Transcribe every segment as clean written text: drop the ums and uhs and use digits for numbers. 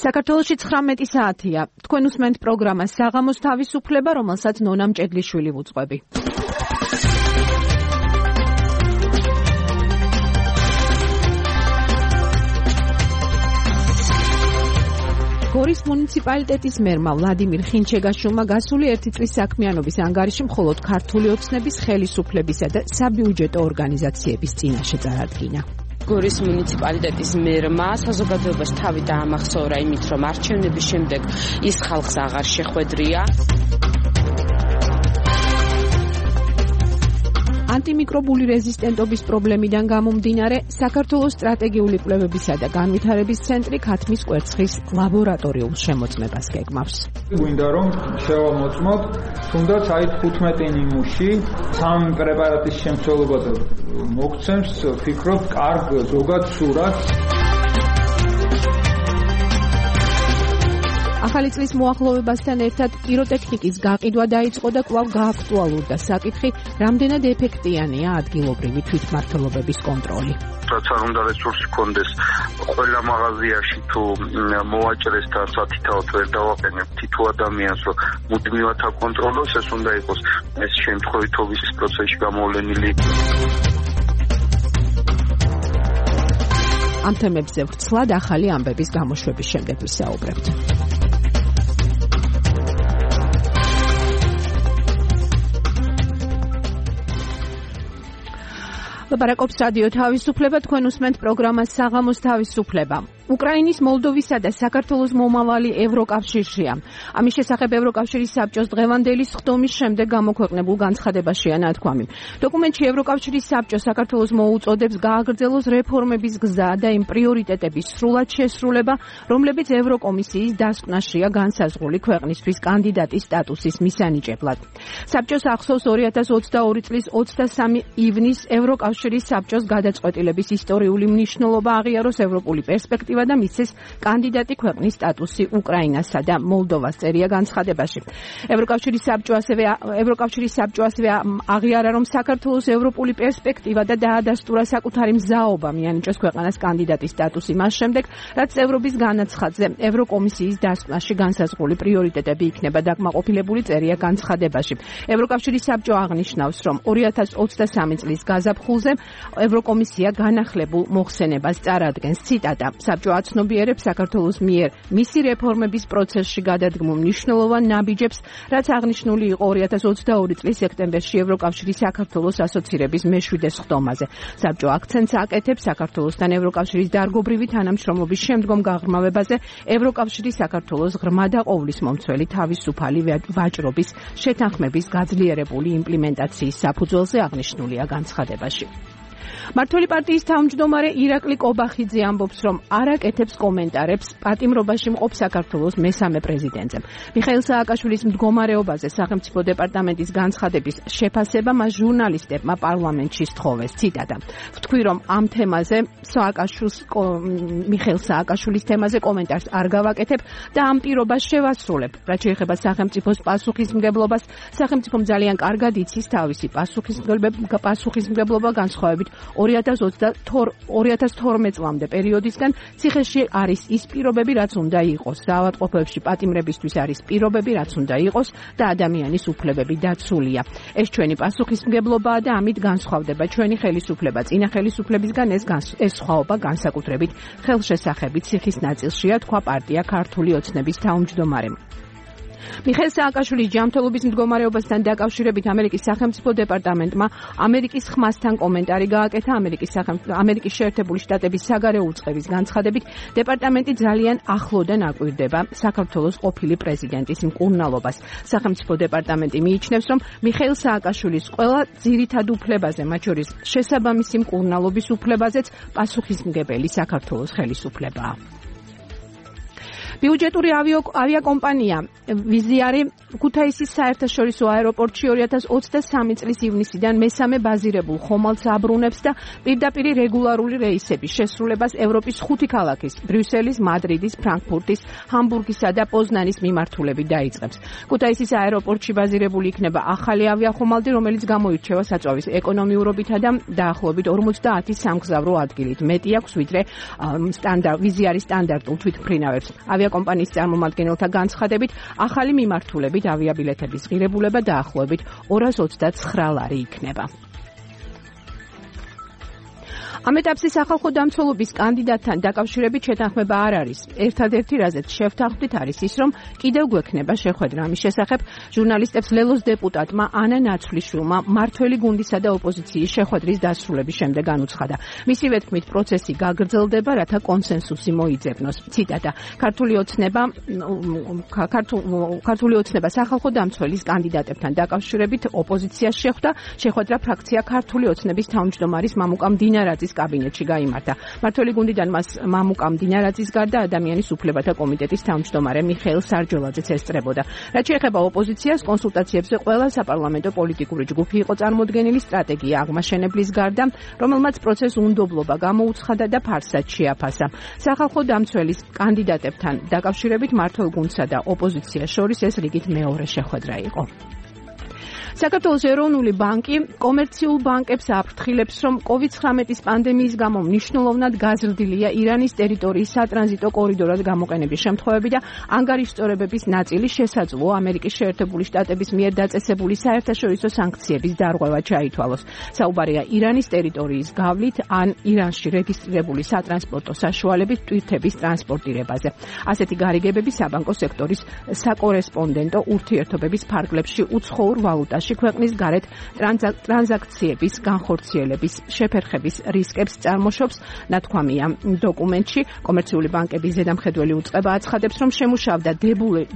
საქართველოში 19 საათია. თქვენ უსმენთ პროგრამას საღამოს თავისუფლება, რომელსაც ნონა მჭედლიშვილი ვუძღვები. გორის მუნიციპალიტეტის მერმა ვლადიმირ ხინჩეგაშვილმა გასული 1 წლის საქმიანობის ანგარიში მხოლოდ ქართული ოცნების, ხელისუფლებისა და საბიუჯეტო ორგანიზაციების წინაშე წარადგინა. გორის მუნიციპალიტეტის მერმა საზოგადოებაში თავი დაამახსოვრა იმით, რომ არჩევნების შემდეგ ის ხალხს აღარ შეხვედრია. ანტიმიკრობული რეზისტენტობის პრობლემიდან გამომდინარე, საქართველოს სტრატეგიული კვლევებისა და განვითარების ცენტრი ქათმის კვერცხის ლაბორატორიულ შემოწმებას გეგმავს. გვინდა რომ შევამოწმოთ, თუნდაც აი 15 ნიმუში სამ პრეპარატის შემცველობაზე მოგცემს, ვფიქრობ, კარგ ზოგად სურათს. ახალი წლის მოახლოვებასთან ერთად პიროტექნიკის გაყიდვა დაიწყო და კვლავ გააქტუალურდა საკითხი, რამდენად ეფექტიანია ადგილობრივი თვითმმართველობების კონტროლი. რაც არ უნდა რესურსი კონდეს ყველა მაღაზიაში თუ მოვაჭრეს და სათითაოდ ვერ დავაყენებ თითო ადამიანს, რომ მუდმივად აკონტროლოს, ეს უნდა იყოს ეს შემთხვევითობის პროცესში გამოვლენილი. ამ თემებზე ვრცლად ახალი ამბების გამოშვების შემდეგ ვისაუბრებთ. ლაპარაკობს რადიო თავისუფლება, თქვენ უსმენთ პროგრამას საღამოს თავისუფლება. უკრაინის, მოლდოვისა და საქართველოს მომავალი ევროკავშირშია. ამის შესახებ ევროკავშირის საბჭოს დღევანდელი სხდომის შემდეგ გამოქვეყნებულ განცხადებაშია ნათქვამი. დოკუმენტში ევროკავშირის საბჭო საქართველოს მოუწოდებს გააგრძელოს რეფორმების გზა და იმ პრიორიტეტების სრულად შესრულება, რომლებიც ევროკომისიის დასკვნაშია განსაზღვრული ქვეყნისთვის კანდიდატის სტატუსის მისანიჭებლად. საბჭოს ახსოვს 2022 წლის 23 ივნის ევროკავშირის საბჭოს გადაწყვეტილების ისტორიული მნიშვნელობა აღიაროს ევროპული პერსპექტივა და მისცეს კანდიდატი ქვეყნის სტატუსი უკრაინასა და მოლდოვას, წერია განცხადებაში. ევროკავშირის საბჭო ასევე აღიარა, რომ საქართველოს ევროპული პერსპექტივა და დაადასტურა საკუთარი მზაობა მიანიჭოს ქვეყანას კანდიდატის სტატუსი მას შემდეგ, რაც წევრობის განაცხადზე ევროკომისიის დასკვნაში განსაზღვრული პრიორიტეტები იქნება დაკმაყოფილებული, წერია განცხადებაში. ევროკავშირის საბჭო აღნიშნავს, რომ 2023 წლის გაზაფხულზე ევროკომისია განახლებულ მოხსენებას წარადგენს. ციტატა: საბჭო აცნობიერებს საქართველოს მიერ მისი რეფორმების პროცესში გადადგმულ მნიშვნელოვან ნაბიჯებს, რაც აღნიშნული იყო 2022 წლის სექტემბერში ევროკავშირის საქართველოს ასოცირების მე-7 სხდომაზე. საბჭო აქცენტს აკეთებს საქართველოსთან ევროკავშირის დარგობრივი თანამშრომლობის შემდგომ გაღრმავებაზე, ევროკავშირის საქართველოს ღრმა და ყოვლისმომცველი თავისუფალი ვაჭრობის შეთანხმების გაძლიერებული იმპლემენტაციის საფუძველზე აღნიშნულია განცხადებაში. მართველი პარტიის თავმჯდომარე ირაკლი კობახიძე ამბობს, რომ არ აკეთებს კომენტარებს პატიმრობაში მყოფ საქართველოს მესამე პრეზიდენტზე. მიხეილ სააკაშვილის მდგომარეობაზე სახელმწიფო დეპარტამენტის განცხადების შეფასება მას ჟურნალისტებმა პარლამენტში სთხოვეს. ციტატა: ვთქვი, რომ ამ თემაზე მიხეილ სააკაშვილის თემაზე კომენტარს არ გავაკეთებ და ამ პირობას შევასრულებ. რაც შეეხება სახელმწიფოს პასუხისმგებლობას, სახელმწიფომ ძალიან კარგად იცის თავისი პასუხისმგებლობა განსხვავებით 2012 წლამდე პერიოდისგან. ციხეში არის ის პირობები, რაც უნდა იყოს. საავადმყოფოებში პატიმრებისთვის არის პირობები, რაც უნდა იყოს და ადამიანის უფლებები დაცულია. ეს ჩვენი პასუხისმგებლობაა და ამით განსხვავდება ჩვენი ხელისუფლება წინა ხელისუფლებისგან. ეს სხვაობა განსაკუთრებით ხელშესახებით ციხის ნაწილშია, თქვა პარტია ქართული ოცნების თავმჯდომარემ. მიხეილ სააკაშვილის ჯანმრთელობის მდგომარეობასთან დაკავშირებით ამერიკის სახელმწიფო დეპარტამენტმა ამერიკის ხმასთან კომენტარი გააკეთა. ამერიკის შეერთებული შტატების საგარეო უწყების განცხადებით, დეპარტამენტი ძალიან ახლოდან აკვირდება საქართველოს ყოფილი პრეზიდენტის მკურნალობას. სახელმწიფო დეპარტამენტი მიიჩნევს, რომ მიხეილ სააკაშვილის ყველა ძირითად უფლებაზე, მათ შორის შესაბამისი მკურნალობის უფლებაზეც პასუხისმგებელი საქართველოს ხელისუფლებაა. ბიუჯეტური ავიაკომპანია ვიზიარი ქუთაისის საერთაშორისო აეროპორტში 2023 წლის ივნისიდან მესამე ბაზირებულ ხომალდს აბრუნებს და პირდაპირ რეგულარული რეისების შესრულებას ევროპის 5 ქალაქის ბრიუსელის, მადრიდის, ფრანკფურტის, ჰამბურგისა და პოზნანის მიმართულებით დაიწყებს. ქუთაისის აეროპორტში ბაზირებული იქნება ახალი ავიახომალდი, რომელიც გამოირჩევა საწვავის ეკონომიურობითა და დაახლოებით 50 სამგზავრო ადგილით. მეტი აქვს ვიდრე ვიზიარის სტანდარტულ თვითმფრინავებს. ავიაკომპანიის წარმომადგენელთა განცხადებით, ახალი მიმართულებით ავიაბილეთების ღირებულება დაახლოებით 229 ლარი იქნება. ამ ეტაპზე სახალხო დამცველობის კანდიდატთან დაკავშირებით შეთანხმება არ არის. ერთადერთი რაზეც შევთანხმდით არის ის, რომ კიდევ გვექნება შეხვედრა ამის შესახებ ჟურნალისტებს ლელოს დეპუტატმა ანა ნაცვლიშვილმა მმართველი გუნდისა და ოპოზიციის შეხვედრის დასრულების შემდეგ განუცხადა. მისივე თქმით, პროცესი გაგრძელდება, რათა კონსენსუსი მოიძებნოს. ციტატა: ქართული ოცნება სახალხო დამცველის კანდიდატებთან დაკავშირებით ოპოზიციას შეხვდა. შეხვედრა ფრაქცია ქართული ოცნების თავმჯდომარის მამუკა მდინარაძის კაბინეტში გაიმართა. მმართველი გუნდიდან მას მამუკა მდინარაძის გარდა ადამიანის უფლებათა კომიტეტის თავმჯდომარე მიხეილ სარჯოლაძეც ესწრებოდა. რაც შეეხება ოპოზიციას, კონსულტაციებზე ყველა საპარლამენტო პოლიტიკური ჯგუფი იყო წარმოდგენილი სტრატეგია აღმაშენებლის გარდა, რომელმაც პროცესს უნდობლობა გამოუცხადა და ფარსად შეაფასა. სახალხო დამცველის კანდიდატებთან დაკავშირებით მმართველ გუნდსა და ოპოზიციას შორის ეს რიგით მეორე შეხვედრა იყო. საქართველოს ეროვნული ბანკი კომერციულ ბანკებს აფრთხილებს, რომ COVID-19 პანდემიის გამო მნიშვნელოვნად გაზრდილია ირანის ტერიტორიის სატრანზიტო კორიდორად გამოყენების შემთხვევები და ანგარიშწორებების ნაწილი შესაძლოა ამერიკის შეერთებული შტატების მიერ დაწესებული საერთაშორისო სანქციების დარღვევა ჩაითვალოს. საუბარია ირანის ტერიტორიის გავლით ან ირანში რეგისტრირებული სატრანსპორტო საშუალებით ტვირთების ტრანსპორტირებაზე. ასეთი გარიგებები საბანკო სექტორის საკორესპონდენტო ურთიერთობების ფარგლებში უცხოურ ვალუტაში ქვეყნის გარეთ ტრანზაქციების განხორციელების შეფერხების რისკებს წარმოშობს, ნათქვამია დოკუმენტში. კომერციული ბანკების ზედამხედველი უწყება აცხადებს, რომ შემუშავდა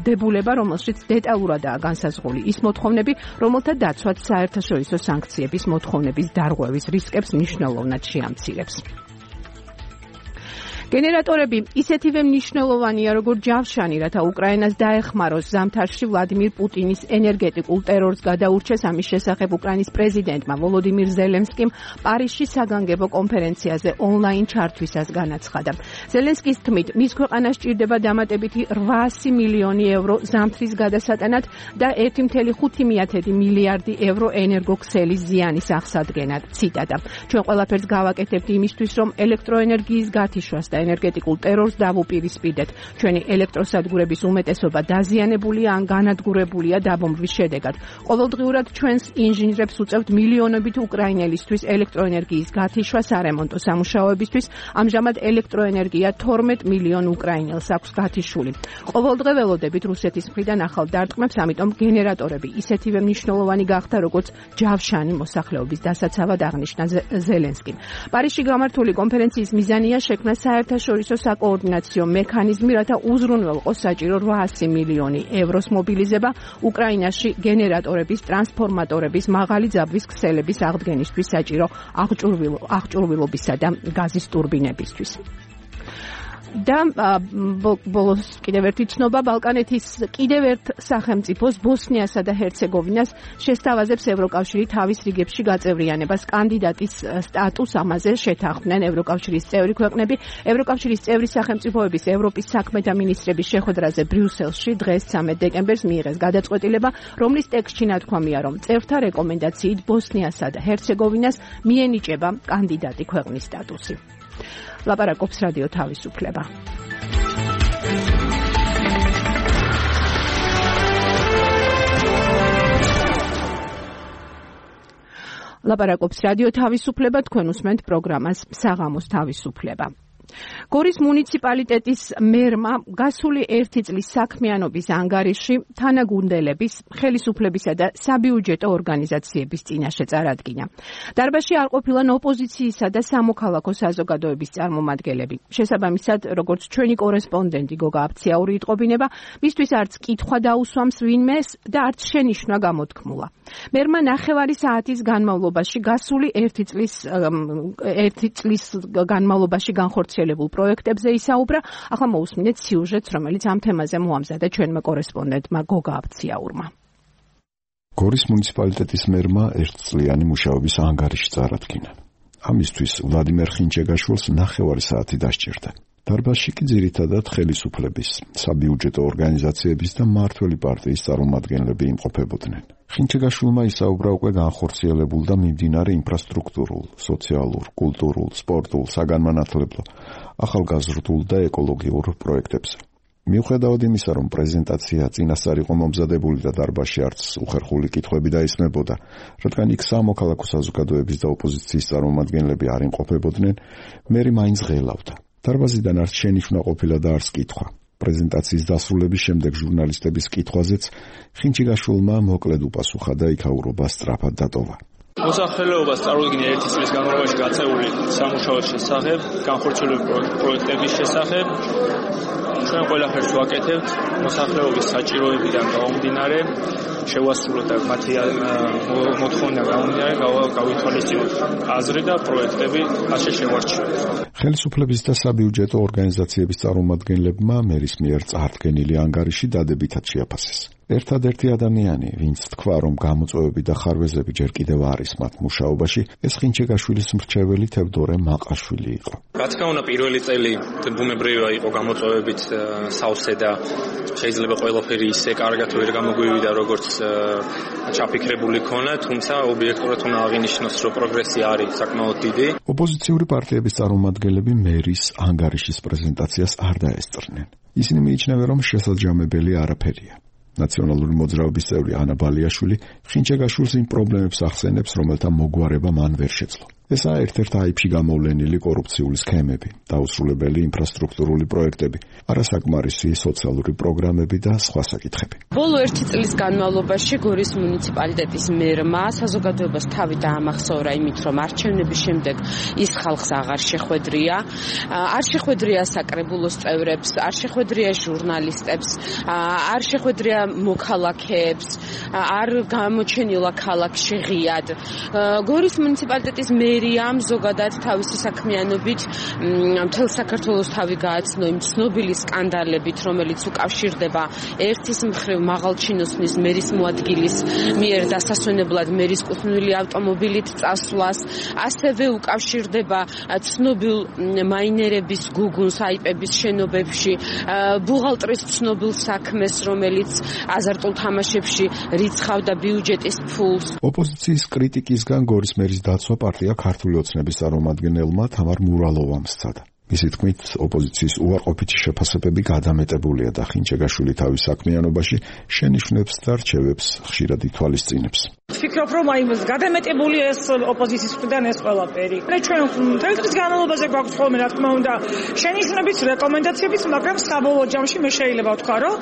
დებულება, რომელშიც დეტალურადაა განსაზღვრული ის მოთხოვნები, რომელთა დაცვაც საერთაშორისო სანქციების მოთხოვნების დარღვევის რისკებს მნიშვნელოვნად შეამცირებს. გენერატორები ისეთივე მნიშვნელოვანია, როგორც ჯავშანი, რათა უკრაინას დაეხმაროს ზამთარში ვლადიმირ პუტინის ენერგეტიკულ ტერორს გადაურჩეს. ამის შესახებ უკრაინის პრეზიდენტმა ვოლოდიმირ ზელენსკიმ პარიზში საგანგებო კონფერენციაზე ონლაინ ჩართვისას განაცხადა. ზელენსკის თქმით, მის ქვეყანას სჭირდება დამატებითი 800 მილიონი ევრო ზამთრის გადასატანად და 1,5 მილიარდი ევრო ენერგოქსელის ზიანის აღსადგენად. ციტატა: ჩვენ ყველაფერს გავაკეთებთ იმისთვის, რომ ელექტროენერგიის გათიშვას და ენერგეტიკულ ტერორს დავუპირისპირდეთ. ჩვენი ელექტროსადგურების უმეტესობა დაზიანებულია ან განადგურებულია დაბომბვის შედეგად. ყოველდღიურად ჩვენს ინჟინრებს უწევთ მილიონობით უკრაინელისთვის ელექტროენერგიის გათიშვა სარემონტო სამუშაოებისთვის. ამჟამად ელექტროენერგია 12 მილიონ უკრაინელს აქვს გათიშული. ყოველდღე ველოდებით რუსეთის მხრიდან ახალ დარტყმებს, ამიტომ გენერატორები ისეთივე მნიშვნელოვანი გახდა, როგორც ჯავშანი მოსახლეობის დასაცავად აღნიშნა ზელენსკიმ. პარიზში გამართული კონფერენციის მიზანია შექმნა საერთაშორისო საკოორდინაციო მექანიზმი, რათა უზრუნველყოს საჭირო 800 მილიონი ევროს მობილიზება უკრაინაში გენერატორების, ტრანსფორმატორების, მაღალი ძაბვის ქსელების აღდგენისთვის საჭირო აღჭურვილობისა და გაზის ტურბინებისთვის. და ბოლოს კიდევ ერთი ცნობა, ბალკანეთის კიდევ ერთ სახელმწიფოს ბოსნიასა და ჰერცეგოვინას შესთავაზებს ევროკავშირი თავის რიგებში გაწევრიანებას. კანდიდატის სტატუსს ამაზე შეთანხმდნენ ევროკავშირის წევრი ქვეყნები. ევროკავშირის წევრი სახელმწიფოების ევროპის საქმეთა მინისტრების შეხვედრაზე ბრიუსელში დღეს 13 დეკემბერს მიიღეს გადაწყვეტილება, რომლის ტექსტში ნათქვამია, რომ წევრთა რეკომენდაციით ბოსნიასა და ჰერცეგოვინას მიენიჭება კანდიდატი ქვეყნის სტატუსი. ლაპარაკობს რადიო თავისუფლება. ლაპარაკობს რადიო თავისუფლება, თქვენ უსმენთ პროგრამას საღამოს თავისუფლება. გორის მუნიციპალიტეტის მერმა გასული 1 წლის საქმიანობის ანგარიში თანაგუნდელების, ხელისუფლებისა და საბიუჯეტო ორგანიზაციების წინაშე წარადგინა. დარბაზში არ ყოფილან ოპოზიციისა და სამოქალაქო საზოგადოების წარმომადგენლები. შესაბამისად, როგორც ჩვენი კორესპონდენტი გოგა აფციაური იტყობინება, მისთვის არც კითხვა დაუსვამს ვინმეს და არც შენიშვნა გამოთქმულა. მერმა 9 საათის განმავლობაში გასული 1 წლის განმავლობაში განხორციელებული გაგრძელებულ პროექტებზე ისაუბრა. ახლა მოусმინეთ სიუჟეტს, რომელიც ამ თემაზე მოამზადა ჩვენმა კორესპონდენტმა გოგა აბციაურმა. გორის მუნიციპალიტეტის მერმა ერთწლიანი მუშაობის ანგარიში წარადგინა. ამისთვის ვლადიმერ ხინჩეგაშვილს 9 საათი დასჭირდა. დარბაზში კი ძირითადად ხელისუფლების, საბიუჯეტო ორგანიზაციების და მმართველი პარტიის წარმომადგენლები იმყოფებოდნენ. ხინჩეგაშვილმა ისაუბრა უკვე განხორციელებულ და მიმდინარე ინფრასტრუქტურულ, სოციალურ, კულტურულ, სპორტულ, საგანმანათლებლო, ახალგაზრდულ და ეკოლოგიურ პროექტებზე. მიუხედავად იმისა, რომ პრეზენტაცია წინასწარ იყო მომზადებული და დარბაზში არც უხერხული კითხვები დაისმებოდა, რადგან იქ სამოქალაქო საზოგადოების და ოპოზიციის წარმომადგენლები არ იმყოფებოდნენ, მერი მაინც ღელავდა. დარბაზიდან არც შენიშვნა ყოფილა და არც კითხვა. პრეზენტაციის დასრულების შემდეგ ჟურნალისტების კითხვაზეც ხინჩეგაშვილმა მოკლედ უპასუხა და იქაურობა სწრაფად დატოვა. მოსახლეობას წარუდგინა 1 წლის განმავლობაში გაწეული სამუშაოს შესახებ, განხორციელებული პროექტების შესახებ. ჩვენ ყველაფერს ვაკეთებთ მოსახლეობის საჭიროებიდან გამომდინარე, შევასრულოთ და მათი მოთხოვნიდან გამომდინარე გავითვალისწინოთ აზრი და პროექტები ასე შევარჩიოთ. ხელისუფლების და საბიუჯეტო ორგანიზაციების წარმომადგენლებმა მერის მიერ წარდგენილი ანგარიში დადებითად შეაფასეს. ერთადერთი ადამიანი, ვინც თქვა, რომ გამოწვევები და ხარვეზები ჯერ კიდევ არის მათ მუშაობაში, ეს ხინჩეგაშვილის მრჩეველი თევდორე მაყაშვილი იყო. რა თქმა უნდა, პირველი წელი ბუნებრივია იყო გამოწვევებით სავსე და შეიძლება ყველაფერი ისე კარგად ვერ გამოგვივიდა, როგორც ჩაფიქრებული ქონა, თუმცა ობიექტურად უნდა აღინიშნოს, რომ პროგრესი არის საკმაოდ დიდი. ოპოზიციური პარტიების წარმომადგენლები მერის ანგარიშის პრეზენტაციას არ დაესწრნენ. ისინი მიიჩნევენ, რომ შესაძამებელი არაფერია. ნაციონალური მოძრაობის წევრი ანა ბალიაშვილი ხინჩეგაშვილს იმ პრობლემებს ახსენებს, რომელთა მოგვარება მან ვერ შეძლო. ესაა ერთ-ერთ აიფში გამოვლენილი კორუფციული სქემები, დაუსრულებელი ინფრასტრუქტურული პროექტები, არასაკმარისი სოციალური პროგრამები და სხვა საკითხები. ბოლო 1 წლის განმავლობაში გორის მუნიციპალიტეტის მერმა საზოგადოებას თავი დაამახსოვრა იმით, რომ არჩევნების შემდეგ ის ხალხს აღარ შეხვედრია, არ შეხვედრია საკრებულოს წევრებს, არ შეხვედრია ჟურნალისტებს, არ შეხვედრია მოქალაქეებს, არ გამოჩენილა ქალაქში ღიად. გორის მუნიციპალიტეტის მერიამ ზოგადად თავისი საქმიანობით მთელ საქართველოს თავი გააცნო იმ ცნობილი სკანდალებით, რომელიც უკავშირდება ერთის მხრივ მაღალჩინოსნის მერის მოადგილის მიერ დასასვენებლად მერის კუთვნილი ავტომობილით წასვლას, ასევე უკავშირდება ცნობილ მაინერების გუგუნს აიპების შენობებში, ბუღალტრის ცნობილ საქმეს, რომელიც აზარტულ თამაშებში რიცხავდა ბიუჯეტის ფულს. ოპოზიციის კრიტიკისგან გორის მერის დაცვა პარტია ქართული ოცნების წარმომადგენელმა თამარ მურალოვამ სცადა. მისი თქმით, ოპოზიციის უარყოფითი შეფასებები გადამეტებულია და ხინჩეგაშვილი თავის საქმიანობაში შენიშვნებს და რჩევებს ხშირად ითვალისწინებს. ვფიქრობ, რომ აი გადამეტებული ეს ოპოზიციის მხრიდან ეს ყველაფერი. ჩვენ თელეთის განმავლობაში გვაქვს ხოლმე რა თქმა უნდა შენიშვნებიც, რეკომენდაციებიც, მაგრამ საბოლოო ჯამში მე შეიძლება ვთქვა, რომ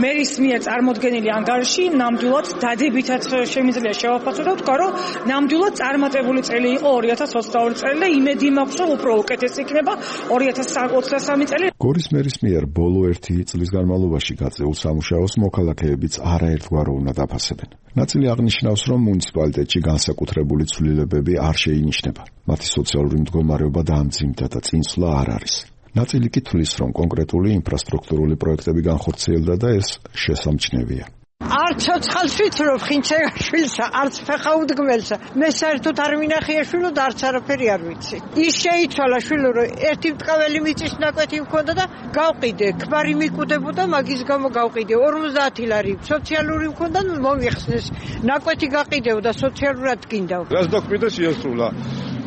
მერის მიერ წარმოდგენილი ანგარიში ნამდვილად დადებითად შემიძლია შევაფასო და ვთქვა, რომ ნამდვილად წარმატებული წელი იყო 2022 წელი და იმედი მაქვს, რომ უფრო უკეთესი იქნება 2023 წელი. გორის მერის მიერ ბოლო 1 წლის განმავლობაში გაწეულ სამუშაოს მოქალაქეებიც არაერთგვარო უნდა დაფასებენ. ნაწილი აღნიშნავს, რომ მუნიციპალიტეტში განსაკუთრებული ცვლილებები არ შეინიშნება. მათი სოციალური მდგომარეობა დაამძიმდა და წინსვლა არ არის. ნაწილი კი თვლის, რომ კონკრეტული ინფრასტრუქტურული პროექტები განხორციელდა და ეს შესამჩნევია. არც ცოცხალს ვიცრობ ხინჩეგაშვილსა, არც ფეხაუდგმელსა. მე საერთოდ არ მინახია შვილო და არც არაფერი არ ვიცი. ის შეიცვალა შვილო, რომ ერთი მტყაველი მიწის ნაკვეთი მქონდა და გავყიდე, ქმარი მიკუდებოდა, მაგის გამო გავყიდე 50 ლარი. სოციალური მქონდა, მომიხსნეს. ნაკვეთი გაყიდევდა, სოციალურად გინდა. რას დაგყვიდა შეასრულა.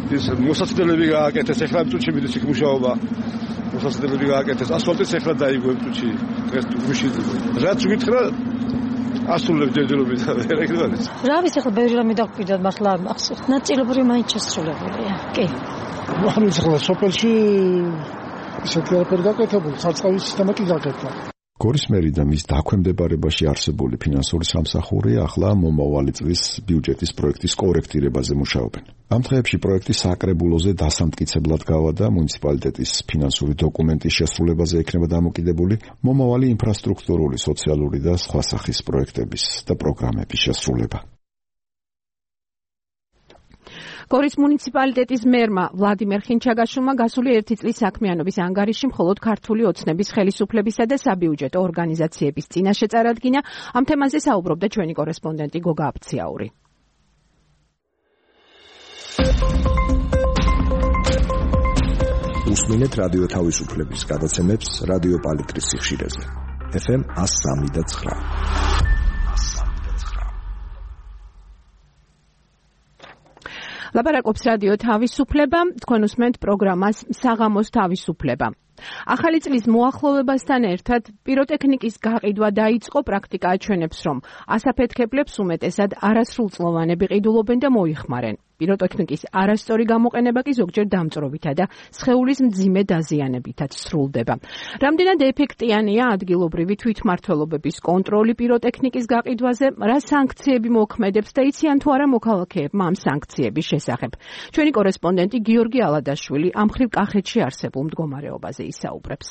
ის მოსაცდელები გააკეთეს, ეხლა წუთში მიდის იქ მუშაობა. მოსაცდელები გააკეთეს, ასფალტიც ეხლა დაიგო წუთში. ეს გუში. რაც გითხრა ასრულებ ჯერჯერობით ვერ ეგრევალის. რა ვიცი ახლა ბევრი რამე დაგყვიდა, მართლა არ მახსოვს. ნაწილობრივ მაინც შესრულებულია. კი. ანუ ახლა სოფელში ისეთი არაფერი გაკეთებული, სარწყავის სისტემა კი გაკეთდა. გორის მერი და მის დაქვემდებარებაში არსებული ფინანსური სამსახური ახლა მომავალი წლის ბიუჯეტის პროექტის კორექტირებაზე მუშაობენ. ამ დღეებში პროექტი საკრებულოზე დასამტკიცებლად გავა და მუნიციპალიტეტის ფინანსური დოკუმენტის შესრულებაზე ექნება დამოკიდებული მომავალი ინფრასტრუქტურული, სოციალური და სხვა სახის პროექტების და პროგრამების შესრულება. გორის მუნიციპალიტეტის მერმა ვლადიმერ ხინჩაგაშვილმა გასული 1 წლის საქმიანობის ანგარიში მხოლოდ ქართული ოცნების ხელისუფლებისა და საბიუჯეტო ორგანიზაციების წინაშე წარადგინა. ამ თემაზე საუბრობდა ჩვენი კორესპონდენტი გოგა აფციაური. უსმინეთ რადიო თავისუფლების გადაცემებს რადიო პალიტრის სიხშირეზე. FM 103.9. ლაპარაკობს რადიო თავისუფლება, თქვენ უსმენთ პროგრამას საღამოს თავისუფლება. ახალი წლის მოახლოვებასთან ერთად პიროტექნიკის გაყიდვა დაიწყო. პრაქტიკა აჩვენებს, რომ ასაფეთქებლებს უმეტესად არასრულწლოვანები ყიდულობენ და მოიხმარენ. პიროტექნიკის არასწორი გამოყენება კი ზოგჯერ დამწრობითა და სხეულის მძიმე დაზიანებითაც სრულდება. რამდენად ეფექტიანია ადგილობრივი თვითმმართველობების კონტროლი პიროტექნიკის გაყიდვაზე, რა სანქციები მოქმედებს და იციან თუ არა მოქალაქეებმა ამ სანქციების შესახებ. ჩვენი კორესპონდენტი გიორგი ალადაშვილი ამ მხრივ კახეთში არსებულ მდგომარეობაზე ისაუბრებს.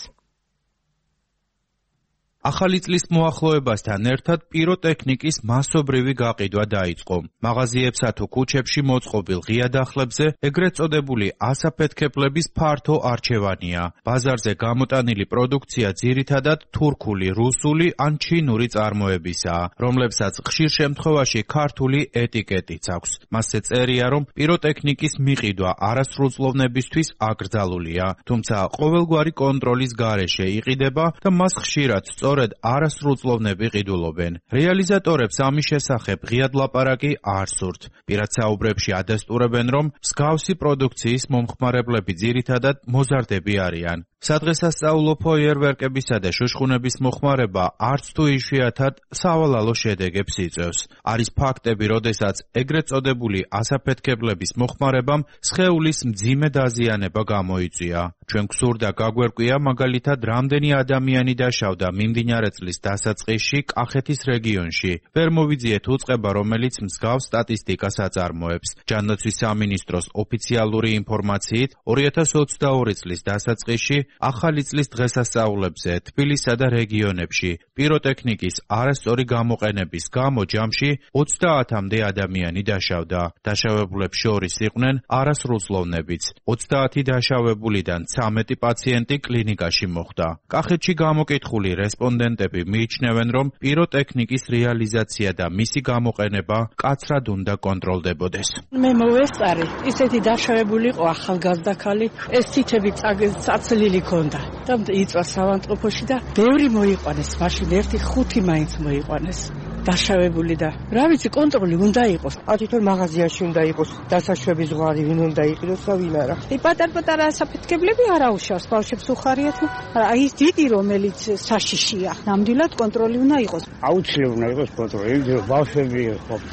ახალი წლის მოახლოებასთან ერთად პიროტექნიკის მასობრივი გაყიდვა დაიწყო. მაღაზიებსა თუ ქუჩებში მოწყობილ ღია დახლებზე ეგრეთ წოდებული ასაფეთქებლების ფართო არჩევანია. ბაზარზე გამოტანილი პროდუქცია ძირითადად თურქული, რუსული ან ჩინური წარმოებისაა, რომლებსაც ხშირ შემთხვევაში ქართული ეტიკეტიც აქვს. მასზე წერია, რომ პიროტექნიკის მიყიდვა არასრულწლოვნებისთვის აკრძალულია, თუმცა ყოველგვარი კონტროლის გარეშე იყიდება და მას ხშირად სწორედ არასრულწლოვნები ყიდულობენ. რეალიზატორებს ამის შესახებ ღიად ლაპარაკი არ სურთ. პირად საუბრებში ადასტურებენ, რომ მსგავსი პროდუქციის მომხმარებლები ძირითადად მოზარდები არიან. სადღესასწაულო ფოიერვერკებისა და შუშხუნების მოხმარება არც თუ იშვიათად სავალალო შედეგებს იწვევს. არის ფაქტები, როდესაც ეგრეთ წოდებული ასაფეთქებლების მოხმარებამ სხეულის მძიმე დაზიანება გამოიწვია. ჩვენ გვსურდა გაგვერკვია მაგალითად რამდენი ადამიანი დაშავდა მიმდინარე წლის დასაწყისში კახეთის რეგიონში. ვერ მოვიძიეთ უწყება, რომელიც მსგავს სტატისტიკას აწარმოებს. ჯანდაცვის სამინისტროს ოფიციალური ინფორმაციით 2022 წლის დასაწყისში ახალი წლის დღესასწაულებზე თბილისსა და რეგიონებში პიროტექნიკის არასწორი გამოყენების გამო ჯამში 30-მდე ადამიანი დაშავდა. დაშავებულებს შორის იყვნენ არასრულწლოვნებიც. 30 დაშავებულიდან 13 პაციენტი კლინიკაში მოხვდა. კახეთში გამოკითხული რესპონდენტები მიიჩნევენ, რომ პიროტექნიკის რეალიზაცია და მისი გამოყენება კაცრად უნდა კონტროლდებოდეს. მე მოვესწარი, ისეთი დაშავებული იყო ახალგაზრდა ქალი, ეს თითები წაცლილი ქონდა და იწვა საავადმყოფოში და ბევრი მოიყვანეს, მაშინ 1-5 მაინც მოიყვანეს. დაშავებული და რა ვიცი კონტროლი უნდა იყოს. თვითონ მაღაზიაში უნდა იყოს დასაშვების ზღვარი, ვინ უნდა იყიდოს და ვინ არა. პატარ-პატარა ასაფეთქებლები არ აუშავს, ბავშვებს უხარიათ, აი ის დიდი რომელიც საშიშია. ნამდვილად კონტროლი უნდა იყოს. აუცილებლად უნდა იყოს კონტროლი, რომ ბავშვები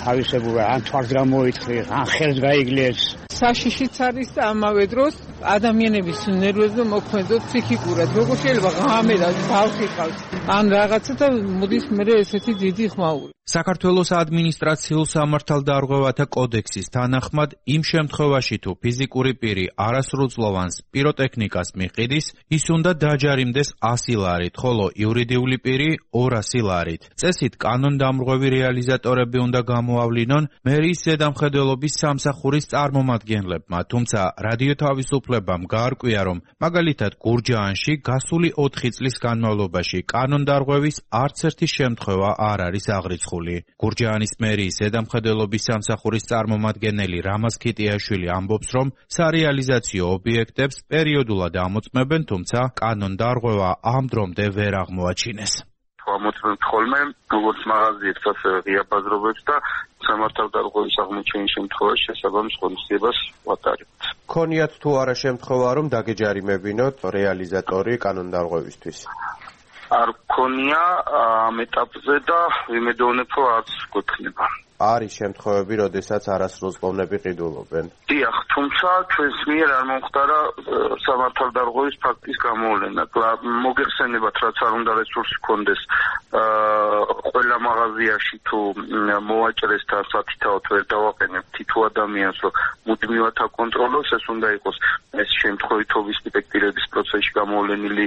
თავისებურად ან თვალს გამოიწყდეს, ან ხელს გაიგლეს. საშიშიც არის და ამავე დროს ადამიანების ნერვებზე მოქმედებს ფსიქიკურად. როგორ შეიძლება ღამედან ბავშვი ყავს ან რაღაცა და მოდის მე ესეთი დიდი ხმაური. საქართველოს ადმინისტრაციულ სამართალდარღვევათა კოდექსის თანახმად იმ შემთხვევაში თუ ფიზიკური პირი არასრულწლოვანს პიროტექნიკას მიყიდის, ის უნდა დაჯარიმდეს 100 ლარით, ხოლო იურიდიული პირი 200 ლარით. წესით კანონდამრღვევი რეალიზატორები უნდა გამოავლინონ მერიის ზედამხედველობის სამსახურის წარმომადგენლებმა, თუმცა რადიო თავისუფლებამ გაარკვია, რომ მაგალითად გურჯაანში გასული 4 წლის განმავლობაში კანონდარღვევის არც ერთი შემთხვევა არ არის აღრიცხული. გურჯაანის მერიის ზედამხედველობის სამსახურის წარმომადგენელი რამაზ ქიტიაშვილი ამბობს, რომ სარეალიზაციო ობიექტებს პერიოდულად ამოწმებენ, თუმცა კანონდარღვევა ამ დრომდე ვერ აღმოაჩინეს. ამოწმებთ ხოლმე როგორც მაღაზიებს, ასევე ღია ბაზრობებს და სამართალდარღვევის აღმოჩენის შემთხვევაში შესაბამის ღონისძიებას ვატარებთ. ქონიათ თუ არა შემთხვევა, რომ დაგეჯარიმებინოთ რეალიზატორი კანონდარღვევისთვის? არ ქონია ამ ეტაპზე და ვიმედოვნებ, რომ არც გვექნება. არის შემთხვევები, როდესაც არასრულწლოვნები ყიდულობენ. დიახ, თუმცა ჩვენს მიერ არ მომხდარა სამართალდარღვევის ფაქტის გამოვლენა. მოგეხსენებათ, რაც არ უნდა რესურსი ჰქონდეს ყველა მაღაზიაში თუ მოვაჭრესთან სათითაოდ ვერ დავაყენებთ თითო ადამიანს, რომ მუდმივად აკონტროლოს, ეს უნდა იყოს ეს შემთხვევითობის დეტექტირების პროცესში გამოვლენილი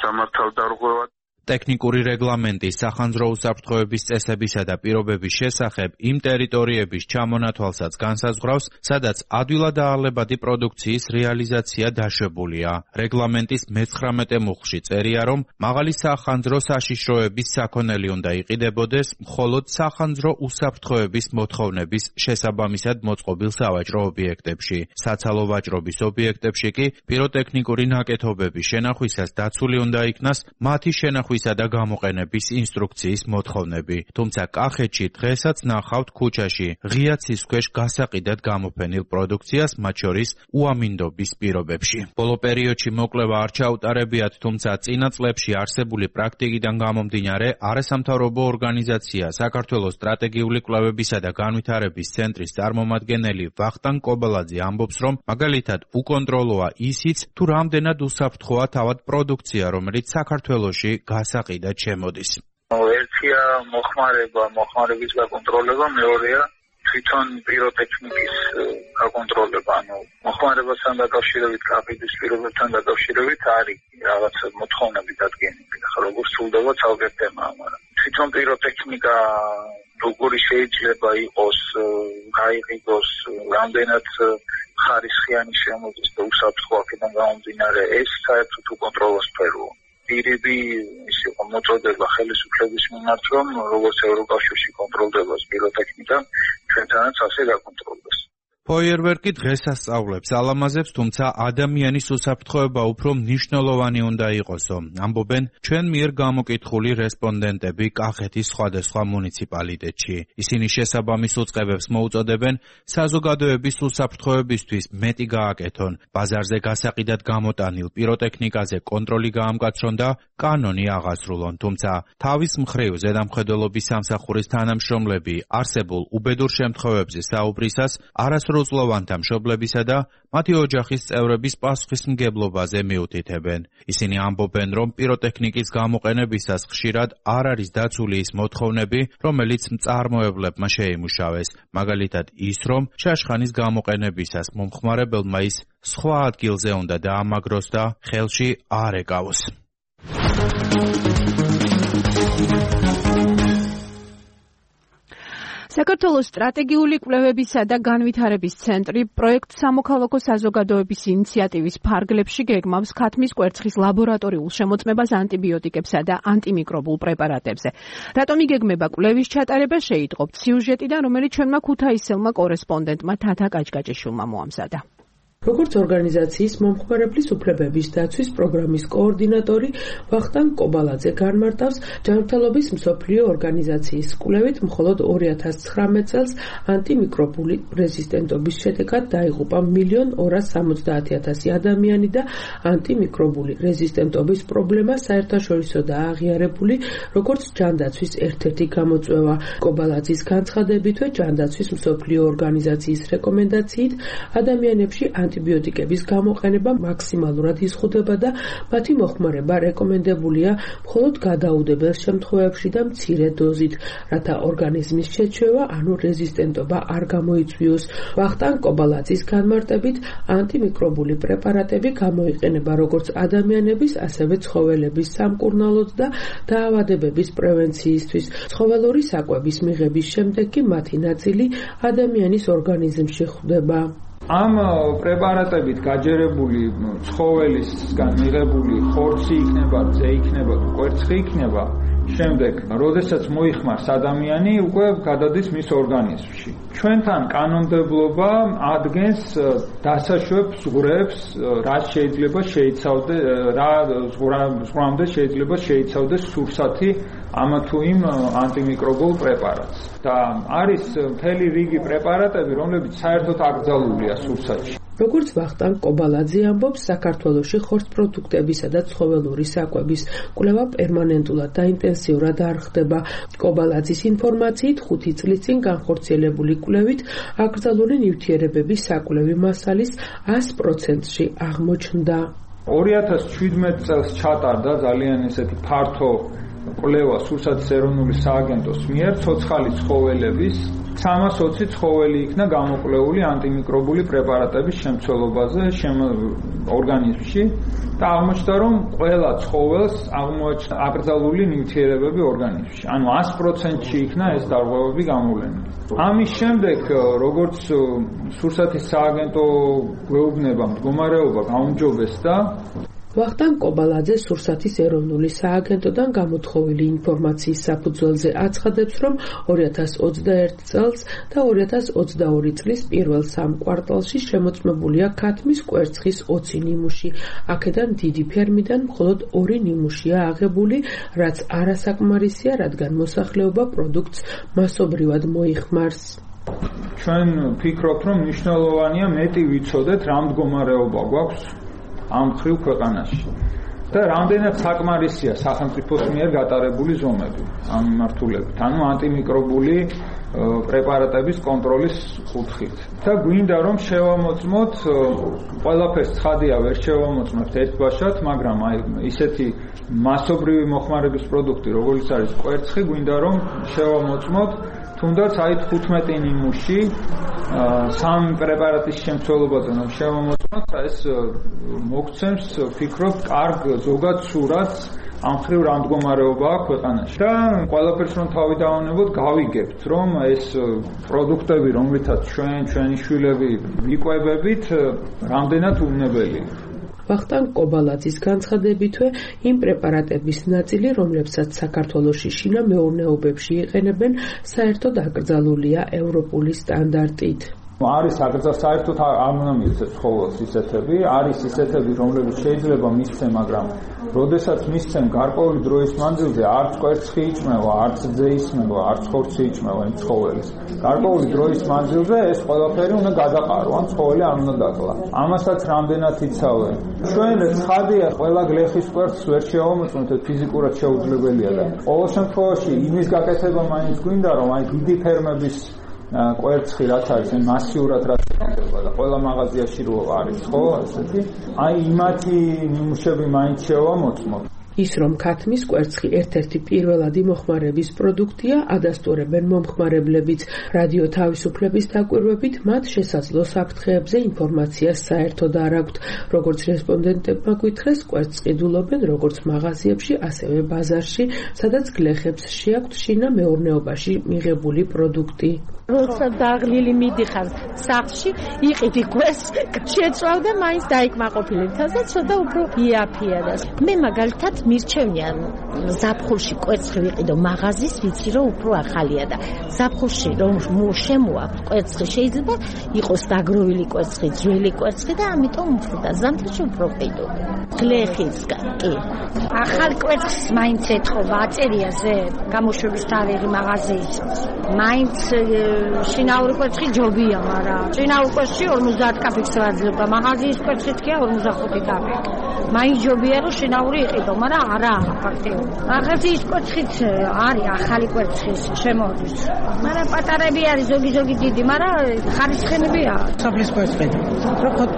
სამართალდარღვევა. ტექნიკური რეგლამენტის სახანძრო უსაფრთხოების წესებისა და პირობების შესახებ იმ ტერიტორიების ჩამონათვალსაც განსაზღვრავს, სადაც ადვილად აალებადი პროდუქციის რეალიზაცია დაშვებულია. რეგლამენტის მე-19 მუხლში წერია, რომ მაღალი სახანძრო საშიშროების საქონელი უნდა იყიდებოდეს მხოლოდ სახანძრო უსაფრთხოების მოთხოვნების შესაბამისად მოწყობილ სავაჭრო ობიექტებში. საცალო ვაჭრობის ობიექტებში კი პიროტექნიკური ნაკეთობების შენახვისას დაცული უნდა იქნას მათი შენახვისა და გამოყენების ინსტრუქციის მოთხოვნები. თუმცა კახეთში დღესაც ნახავთ ქუჩაში ღია ცის ქვეშ გასაყიდად გამოფენილ პროდუქციას, მათ შორის უამინდობის პირობებში. ბოლო პერიოდში მოკვლევა არ ჩაუტარებიათ, თუმცა წინა წლებში არსებული პრაქტიკიდან გამომდინარე არასამთავრობო ორგანიზაცია საქართველოს სტრატეგიული კვლევებისა და განვითარების ცენტრის წარმომადგენელი ვახტანგ კობალაძე ამბობს, რომ მაგალითად უკონტროლოა ისიც, თუ რამდენად უსაფრთხოა თავად პროდუქცია, რომელიც საქართველოში გასაყიდად შემოდის. ერთია მოხმარების გაკონტროლება, მეორეა თვითონ პიროტექნიკის გაკონტროლება, მოხმარებასთან დაკავშირებით, კაფედის პირობებთან დაკავშირებით არის რაღაც მოთხოვნები დადგენილი. ახლა როგორ სრულდება ცალკე თემაა, მაგრამ თვითონ პიროტექნიკა როგორი შეიძლება იყოს, გაიყიდოს, რამდენად ხარისხიანი შემოდის და უსაფრთხო აქედან გამომდინარე, ეს საერთოდ უკონტროლოს სფეროა. პირები ის იყო მოწოდება ხელისუფლების მიმართ, რომ როგორც ევროკავშირში კონტროლდება პიროტექნიკა, ჩვენთანაც ასე გაკონტროლდეს. ფოიერვერკი დღესასწაულებს ალამაზებს, თუმცა ადამიანის უსაფრთხოება უფრო მნიშვნელოვანი უნდა იყოსო, ამბობენ ჩვენ მიერ გამოკითხული რესპონდენტები კახეთის სხვადასხვა მუნიციპალიტეტში. ისინი შესაბამის უწყებებს მოუწოდებენ საზოგადოების უსაფრთხოებისთვის მეტი გააკეთონ, ბაზარზე გასაყიდად გამოტანილ პიროტექნიკაზე კონტროლი გაამკაცრონ და კანონი აღასრულონ. თუმცა თავის მხრივ ზედამხედველობის სამსახურის თანამშრომლები არსებულ უბედურ შემთხვევებზე საუბრისას არასრულწლოვანთა მშობლებისა და მათი ოჯახის წევრების პასუხისმგებლობაზე მიუთითებენ. ისინი ამბობენ, რომ პიროტექნიკის გამოყენებისას ხშირად არ არის დაცული ის მოთხოვნები, რომელიც მწარმოებლებმა შეიმუშავეს. მაგალითად ის, რომ შაშხანის გამოყენებისას მომხმარებელმა ის სხვა ადგილზე უნდა დაამაგროს და ხელში არ ეკავოს. საქართველოს სტრატეგიული კვლევებისა და განვითარების ცენტრი პროექტ სამოქალაქო საზოგადოების ინიციატივის ფარგლებში გეგმავს ქათმის კვერცხის ლაბორატორიულ შემოწმებას ანტიბიოტიკებსა და ანტიმიკრობულ პრეპარატებზე. რატომ იგეგმება კვლევის ჩატარება, შეიტყობთ სიუჟეტიდან, რომელიც ჩვენმა ქუთაისელმა კორესპონდენტმა თათა კაჭკაჭიშვილმა მოამზადა. როგორც ორგანიზაციის მომხმარებლის უფლებების დაცვის პროგრამის კოორდინატორი ვახტანგ კობალაძე განმარტავს, ჯანმრთელობის მსოფლიო ორგანიზაციის კვლევით მხოლოდ 2019 წელს ანტიმიკრობული რეზისტენტობის შედეგად დაიღუპა 1.270.000 ადამიანი და ანტიმიკრობული რეზისტენტობის პრობლემა საერთაშორისოდაა აღიარებული როგორც ჯანდაცვის ერთ-ერთი გამოწვევა. კობალაძის განცხადებითვე ჯანდაცვის მსოფლიო ორგანიზაციის რეკომენდაციით ადამიანებში ანტიბიოტიკების გამოყენება მაქსიმალურად იზღუდება და მათი მოხმარება რეკომენდებულია მხოლოდ გადაუდებელ შემთხვევებში და მცირე დოზით, რათა ორგანიზმის შეჩვევა, ანუ რეზისტენტობა არ გამოიწვიოს. ვახტანგ კობალაძის განმარტებით, ანტიმიკრობული პრეპარატები გამოიყენება როგორც ადამიანების, ასევე ცხოველების სამკურნალოდ და დაავადებების პრევენციისთვის. ცხოველური საკვების მიღების შემდეგ კი მათი ნაწილი ადამიანის ორგანიზმში ხვდება. ამ პრეპარატებით გაჯერებული ცხოველისგან მიღებული ხორცი იქნება, ძე იქნება, კვერცხი იქნება, შემდეგ, როდესაც მოიხმარს ადამიანი, უკვე გადადის მის ორგანიზმში. ჩვენთან კანონმდებლობა ადგენს დასაშვებ ზღვრებს, რაც შეიძლება შეიცავდეს, რა ზღვრამდე შეიძლება შეიცავდეს სურსათი ამ თუ იმ ანტიმიკრობულ პრეპარატს. და არის მთელი რიგი პრეპარატები, რომლებიც საერთოდ აკრძალულია სურსათში. როგორც ვახტანგ კობალაძე ამბობს, საქართველოში ხორცპროდუქტებისა და ცხოველური საკვების კვლევა პერმანენტულად და ინტენსიურად არ ხდება. კობალაძის ინფორმაციით 5 წლის წინ განხორციელებული კვლევით აკრძალული ნივთიერებების საკვლევი მასალის 100%-ში აღმოჩნდა. 2017 წელს ჩატარდა ძალიან ესეთი ფართო კვლევა სურსათის ეროვნული სააგენტოს მიერ ცოცხალი ცხოველების 320 ცხოველი იქნა გამოკვლეული ანტიმიკრობული პრეპარატების შემცველობაზე ორგანიზმში და აღმოჩნდა, რომ ყველა ცხოველს აღმოაჩნდა აკრძალული ნივთიერებები ორგანიზმში. ანუ 100%-ში იქნა ეს დარღვევები გამოვლენილი. ამის შემდეგ, როგორც სურსათის სააგენტო გვეუბნება, მდგომარეობა გაუმჯობესდა. ვახტანგ კობალაძე სურსათის ეროვნული სააგენტოდან გამოთხოვილი ინფორმაციის საფუძველზე აცხადებს, რომ 2021 წელს და 2022 წლის პირველ 3 კვარტალში შემოწმებულია ქათმის კვერცხის 20 ნიმუში. აქედან დიდი ფერმიდან მხოლოდ 2 ნიმუშია აღებული, რაც არასაკმარისია, რადგან მოსახლეობა პროდუქტს მასობრივად მოიხმარს. ჩვენ ვფიქრობთ, რომ მნიშვნელოვანია მეტი ვიცოდეთ, რა მდგომარეობა გვაქვს ამ ხრივ ქვეყანაში და რამდენად საკმარისია სახელმწიფოს მიერ გატარებული ზომები ამ მიმართულებით, ანუ ანტიმიკრობული პრეპარატების კონტროლის კუთხით. და გვინდა რომ შევამოწმოთ, ყველაფერს ცხადია ვერ შევამოწმებთ ერთბაშად, მაგრამ აი ისეთი მასობრივი მოხმარების პროდუქტი, როგორც არის კვერცხი, გვინდა რომ შევამოწმოთ თუნდაც აი 15 ნიმუში 3 პრეპარატის შემცველობაზე რომ შევამოწმოთ, ეს მოგცემს ვფიქრობ კარგ ზოგად სურათს ამ ხრივ რა მდგომარეობაა ქვეყანაში. და ყველაფერს რომ თავი დავანებოთ, გავიგებთ, რომ ეს პროდუქტები, რომლითაც ჩვენი შვილები ვიკვებებით, რამდენად უვნებელია. ვახტანგ კობალაძის განცხადებითვე, იმ პრეპარატების ნაწილი, რომლებსაც საქართველოში შინა მეურნეობებში იყენებენ, საერთოდ აკრძალულია ევროპული სტანდარტით. არის საერთოდ არ უნდა მისცეს ცხოველს ისეთები, არის ისეთები, რომლებიც შეიძლება მისცემ, მაგრამ როდესაც მისცემ გარკვეული დროის მანძილზე არც კვერცხი იჭმევა, არც ძე ისმევა, არც ხორცი იჭმევა იმ ცხოველის. გარკვეული დროის მანძილზე ეს ყველაფერი უნდა გადაყარო, ან ცხოველი არ უნდა დაკლა. ამასაც რამდენად იცავენ. ჩვენ ცხადია, ყველა გლეხის კვერცხს ვერ შევამოწმოთ, ფიზიკურად შეუძლებელია და ყოველ შემთხვევაში იმის გაკეთება მაინც გვინდა, რომ აი დიდი ფერმების კვერცხი რაც არის, მასიურად რაც იქნება და ყველა მაღაზიაში რო არის, ხო, ესეთი. აი იმათი ნიმუშები მაინც შევამოწმოთ. ის რომ ქათმის კვერცხი ერთ-ერთი პირველადი მოხმარების პროდუქტია, ადასტურებენ მომხმარებლებიც. რადიო თავისუფლების დაკვირვებით, მათ შესაძლო საფრთხეებზე ინფორმაციას საერთოდ არ აქვთ. როგორც რესპონდენტებმა გვითხრეს, კვერცხს ყიდულობენ როგორც მაღაზიებში, ასევე ბაზარში, სადაც გლეხებს შეაქვთ შინა მეურნეობაში მიღებული პროდუქტი. როცა დაღლილი მიდიხარ სახლში, იყიდი კვერცხს, შეწვავ და მაინც დაიკმაყოფილი თავს და ცოტა უფრო იაფია და მე მაგალითად მირჩენია ზაფხულში კვერცხი ვიყიდო მაღაზის, ვიცი რომ უფრო ახალია და ზაფხულში რომ შემოა კვერცხი შეიძლება იყოს დაგროვილი კვერცხი, ძველი კვერცხი და ამიტომ უფრო და ზამთარში უფრო ყიდო. გლეხის კი. ახალ კვერცხს მაინც ეთხოვა, აწერია ზე გამოშვების თარიღი მაღაზიის. მაინც შინაური კვერცხი ჯობია, მაგრამ შინაურ კვერცხში 50 კაპიკს ვაძლევ, მაღაზიის კვერცხი თქვია 45 კაპიკი. მაინც ჯობია რომ შინაური იყიდო, მაგრამ არა ფაქტიურად. მაღაზიის კვერცხიც არის ახალი კვერცხის შემოდის. მაგრამ პატარები არის ზოგი დიდი, მაგრამ ხარისხენებია. სოფლის კვერცხი.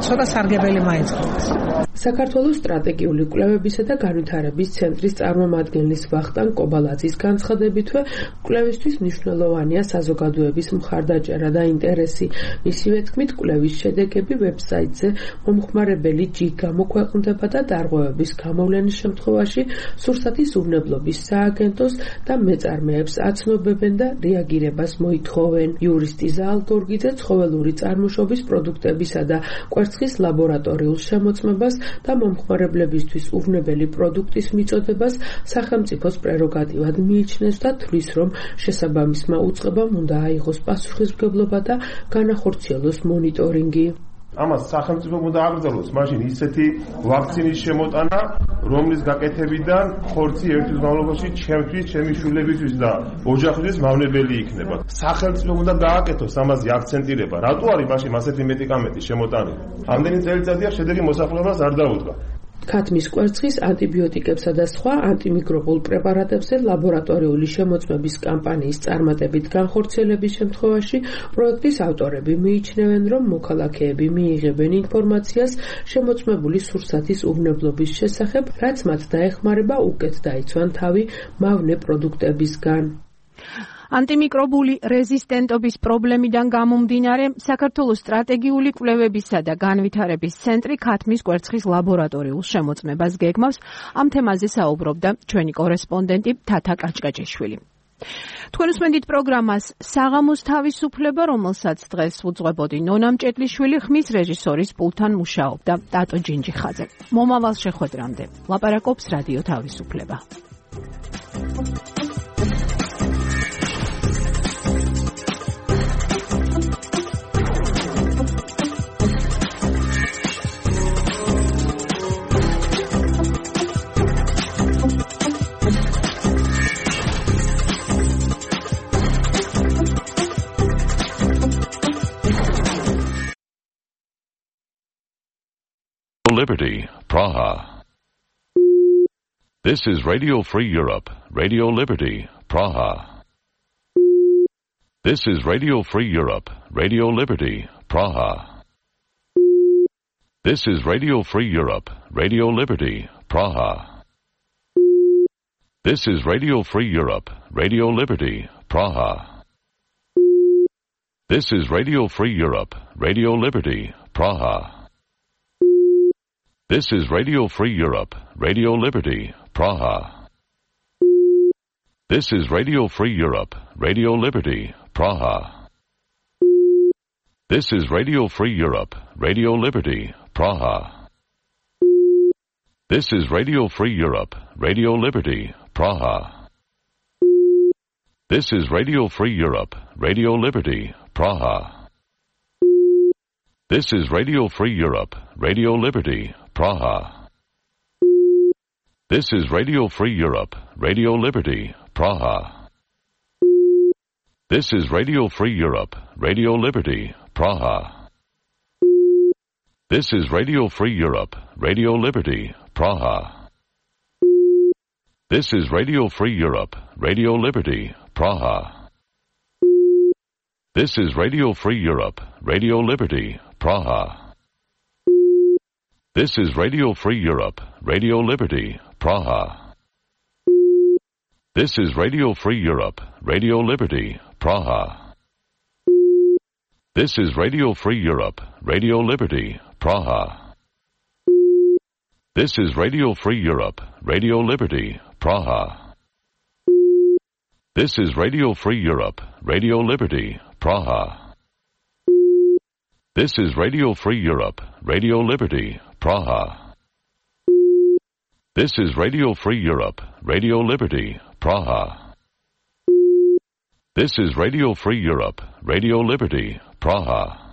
ცოტა სარგებელი მაინც ხდება. საქართველოს სტრატეგიული კვლევებისა და განვითარების ცენტრის წარმომადგენლის ვახტანგ კობალაძის განცხადებითვე, კვლევისთვის მნიშვნელოვანია საზოგადოების მხარდაჭერა და ინტერესი. მისივე თქმით, კვლევის შედეგები ვებსაიტზე მომხმარებელი ჯგ გამოქვეყნდება და დარღვევების გამოვლენის შემთხვევაში სურსათის უვნებლობის სააგენტოს და მეწარმეებს აცნობებენ და რეაგირებას მოითხოვენ. იურისტი ზაალ გორგიძე ცხოველური წარმოშობის პროდუქტებისა და კვერცხის ლაბორატორიულ შემოწმებას და მომხმარებლებისთვის უვნებელი პროდუქტის მიწოდებას სახელმწიფოს პრეროგატივად მიიჩნევს და თვლის, რომ შესაბამისმა უწყებამ უნდა აიღოს პასუხისმგებლობა და განახორციელოს მონიტორინგი. ამას სახელმწიფო უნდა აკრძალოს მაშინ ისეთი ვაქცინის შემოტანა, რომლის გაკეთებიდან ხორცი ერთი მამლობაში ჩემთვის, ჩემი შვილებისთვის და ოჯახისთვის მავნებელი იქნება. სახელმწიფო უნდა გააკეთოს ამაზე აქცენტირება. რატო არის მაშინ ასეთი მედიკამენტის შემოტანა? ამდენი წელიწადია შედეგი მოსახლეობას არ დაუდგა. ქათმის კვერცხის ანტიბიოტიკებსა და სხვა ანტიმიკრობულ პრეპარატებზე ლაბორატორიული შემოწმების კამპანიის წარმატებით განხორციელების შემთხვევაში პროექტის ავტორები მიიჩნევენ, რომ მოქალაქეები მიიღებენ ინფორმაციას შემოწმებული სურსათის უვნებლობის შესახებ, რაც მათ დაეხმარება უკეთ დაიცვან თავი მავნე პროდუქტებისგან. ანტიმიკრობული რეზისტენტობის პრობლემიდან გამომდინარე, საქართველოს სტრატეგიული კვლევებისა და განვითარების ცენტრი ქათმის კვერცხის ლაბორატორიულ შემოწმებას გეგმავს. ამ თემაზე საუბრობდა ჩვენი კორესპონდენტი თათა კაჭკაჭიშვილი. თქვენ უსმენთ პროგრამას საღამოს თავისუფლება, რომელსაც დღეს უძღვებოდი ნონა მჭედლიშვილი, ხმის რეჟისორის პულთან მუშაობდა ტატო ჯინჯიხაძე. მომავალ შეხვედრამდე ლაპარაკობს რადიო თავისუფლება. Liberty, Praha. This is Radio Free Europe, Radio Liberty, Praha. This is Radio Free Europe, Radio Liberty, Praha. This is Radio Free Europe, Radio Liberty, Praha. This is Radio Free Europe, Radio Liberty, Praha. This is Radio Free Europe, Radio Liberty, Praha. This is Radio Free Europe, Radio Liberty, Praha. This is Radio Free Europe, Radio Liberty, Praha. This is Radio Free Europe, Radio Liberty, Praha. This is Radio Free Europe, Radio Liberty, Praha. This is Radio Free Europe, Radio Liberty, Praha. This is Radio Free Europe, Radio Liberty, Praha. This is Radio Free Europe, Radio Liberty, Praha. This is Radio Free Europe, Radio Liberty, Praha. This is Radio Free Europe, Radio Liberty, Praha. This is Radio Free Europe, Radio Liberty, Praha. This is Radio Free Europe, Radio Liberty, Praha. This is Radio Free Europe, Radio Liberty, Praha. This is Radio Free Europe, Radio Liberty, Praha. This is Radio Free Europe, Radio Liberty, Praha. This is Radio Free Europe, Radio Liberty, Praha. This is Radio Free Europe, Radio Liberty, Praha. This is Radio Free Europe, Radio Liberty, Praha. This is Radio Free Europe, Radio Liberty, Praha. This is Radio Free Europe, Radio Liberty, Praha.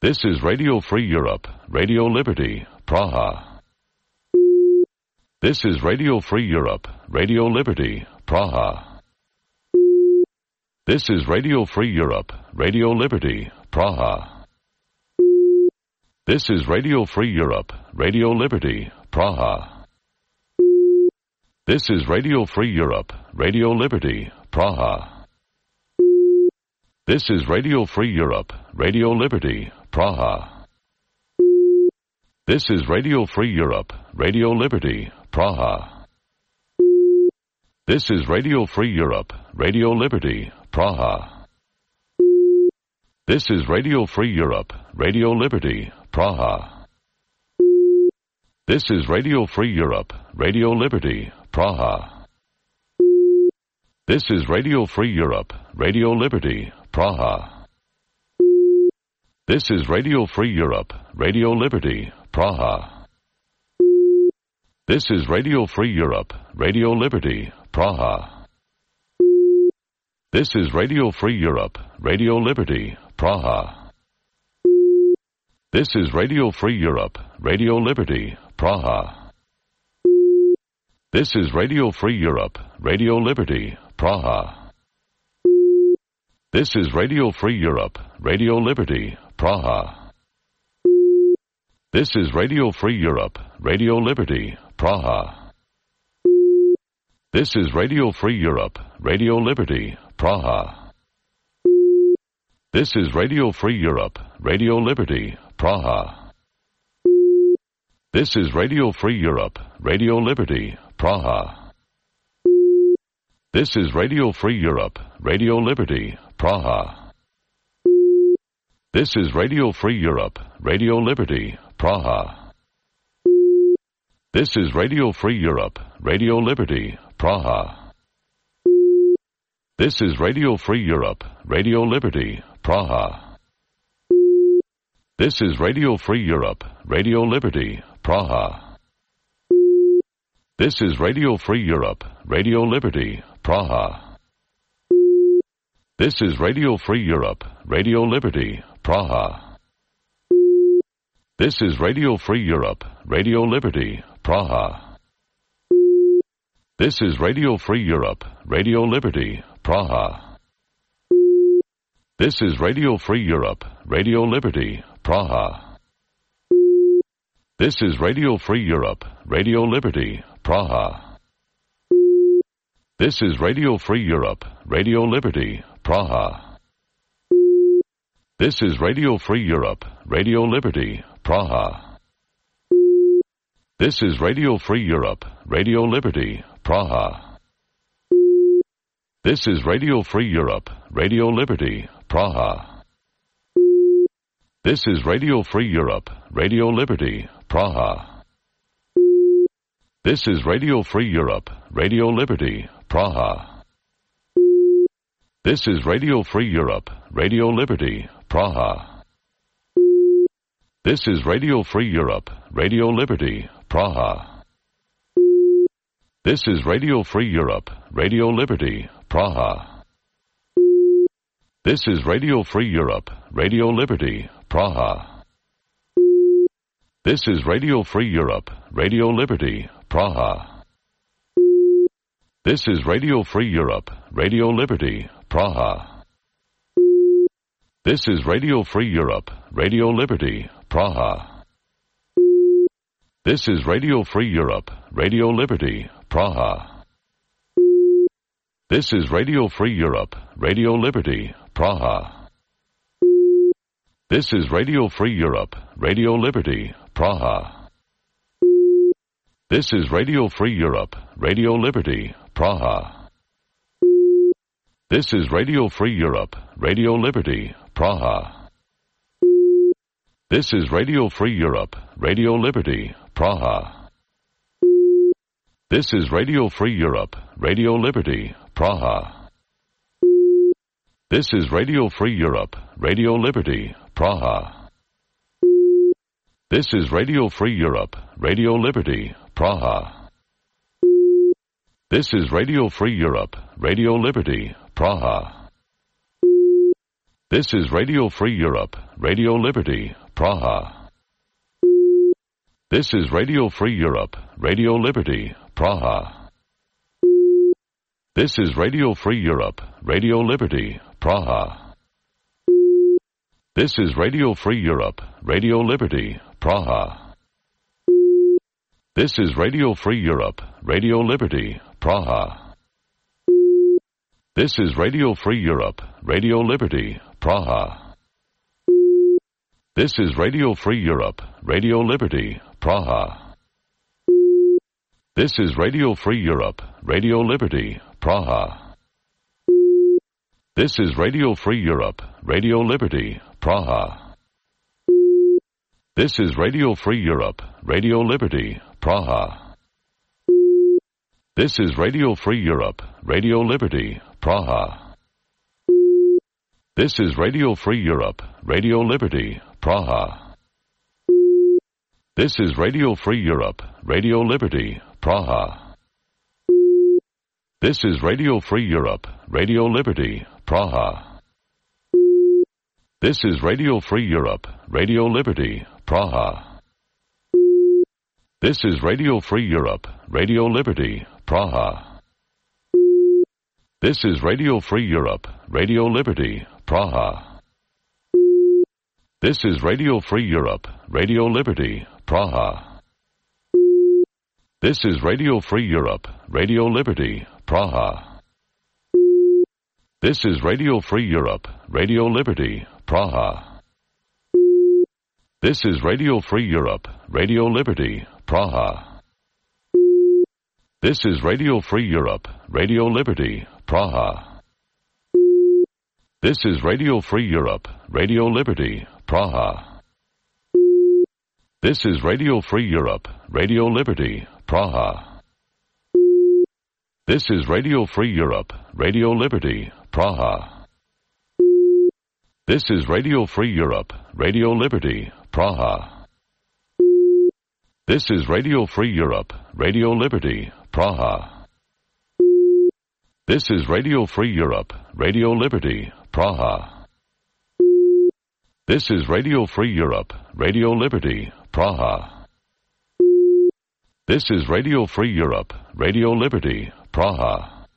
This is Radio Free Europe, Radio Liberty, Praha. This is Radio Free Europe, Radio Liberty, Praha. This is Radio Free Europe, Radio Liberty, Praha. This is Radio Free Europe, Radio Liberty, Praha. This is Radio Free Europe, Radio Liberty, Praha. This is Radio Free Europe, Radio Liberty, Praha. This is Radio Free Europe, Radio Liberty, Praha. This is Radio Free Europe, Radio Liberty, Praha. This is Radio Free Europe, Radio Liberty, Praha. This is Radio Free Europe, Radio Liberty, Praha. This is Radio Free Europe, Radio Liberty, Praha. This is Radio Free Europe, Radio Liberty, Praha. This is Radio Free Europe, Radio Liberty, Praha. This is Radio Free Europe, Radio Liberty, Praha. This is Radio Free Europe, Radio Liberty, Praha. This is Radio Free Europe, Radio Liberty, Praha. This is Radio Free Europe, Radio Liberty, Praha. This is Radio Free Europe, Radio Liberty, Praha. This is Radio Free Europe, Radio Liberty, Praha. This is Radio Free Europe, Radio Liberty, Praha. This is Radio Free Europe, Radio Liberty, Praha. This is Radio Free Europe, Radio Liberty, Praha. This is Radio Free Europe, Radio Liberty, Praha. This is Radio Free Europe, Radio Liberty, Praha. This is Radio Free Europe, Radio Liberty, Praha. This is Radio Free Europe, Radio Liberty, Praha. This is Radio Free Europe, Radio Liberty, Praha. This is Radio Free Europe, Radio Liberty, Praha. This is Radio Free Europe, Radio Liberty, Praha. This is Radio Free Europe, Radio Liberty, Praha. This is Radio Free Europe, Radio Liberty, Praha. This is Radio Free Europe, Radio Liberty, Praha. This is Radio Free Europe, Radio Liberty, Praha. This is Radio Free Europe, Radio Liberty, Praha. This is Radio Free Europe, Radio Liberty, Praha. This is Radio Free Europe, Radio Liberty, Praha. This is Radio Free Europe, Radio Liberty, Praha. This is Radio Free Europe, Radio Liberty, Praha. This is Radio Free Europe, Radio Liberty, Praha. This is Radio Free Europe, Radio Liberty, Praha. This is Radio Free Europe, Radio Liberty, Praha. This is Radio Free Europe, Radio Liberty, Praha. This is Radio Free Europe, Radio Liberty, Praha. This is Radio Free Europe, Radio Liberty, Praha. This is Radio Free Europe, Radio Liberty, Praha. This is Radio Free Europe, Radio Liberty, Praha. This is Radio Free Europe, Radio Liberty, Praha. This is Radio Free Europe, Radio Liberty, Praha. This is Radio Free Europe, Radio Liberty, Praha. This is Radio Free Europe, Radio Liberty, Praha. This is Radio Free Europe, Radio Liberty, Praha. This is Radio Free Europe, Radio Liberty, Praha. This is Radio Free Europe, Radio Liberty, Praha. This is Radio Free Europe, Radio Liberty, Praha. This is Radio Free Europe, Radio Liberty, Praha. This is Radio Free Europe, Radio Liberty, Praha. This is Radio Free Europe, Radio Liberty, Praha. This is Radio Free Europe, Radio Liberty, Praha. This is Radio Free Europe, Radio Liberty, Praha. This is Radio Free Europe, Radio Liberty, Praha. This is Radio Free Europe, Radio Liberty, Praha. This is Radio Free Europe, Radio Liberty, Praha. This is Radio Free Europe, Radio Liberty, Praha. This is Radio Free Europe, Radio Liberty, Praha. This is Radio Free Europe, Radio Liberty, Praha. This is Radio Free Europe, Radio Liberty, Praha. This is Radio Free Europe, Radio Liberty, Praha. This is Radio Free Europe, Radio Liberty, Praha. This is Radio Free Europe, Radio Liberty, Praha. This is Radio Free Europe, Radio Liberty, Praha. This is Radio Free Europe, Radio Liberty, Praha. This is Radio Free Europe, Radio Liberty, Praha. This is Radio Free Europe, Radio Liberty, Praha. This is Radio Free Europe, Radio Liberty, Praha. This is Radio Free Europe, Radio Liberty, Praha. This is Radio Free Europe, Radio Liberty, Praha. This is Radio Free Europe, Radio Liberty, Praha. This is Radio Free Europe, Radio Liberty, Praha. This is Radio Free Europe, Radio Liberty, Praha. This is Radio Free Europe, Radio Liberty, Praha. This is Radio Free Europe, Radio Liberty, Praha. This is Radio Free Europe, Radio Liberty, Praha. This is Radio Free Europe, Radio Liberty, Praha. This is Radio Free Europe, Radio Liberty, Praha. This is Radio Free Europe, Radio Liberty, Praha.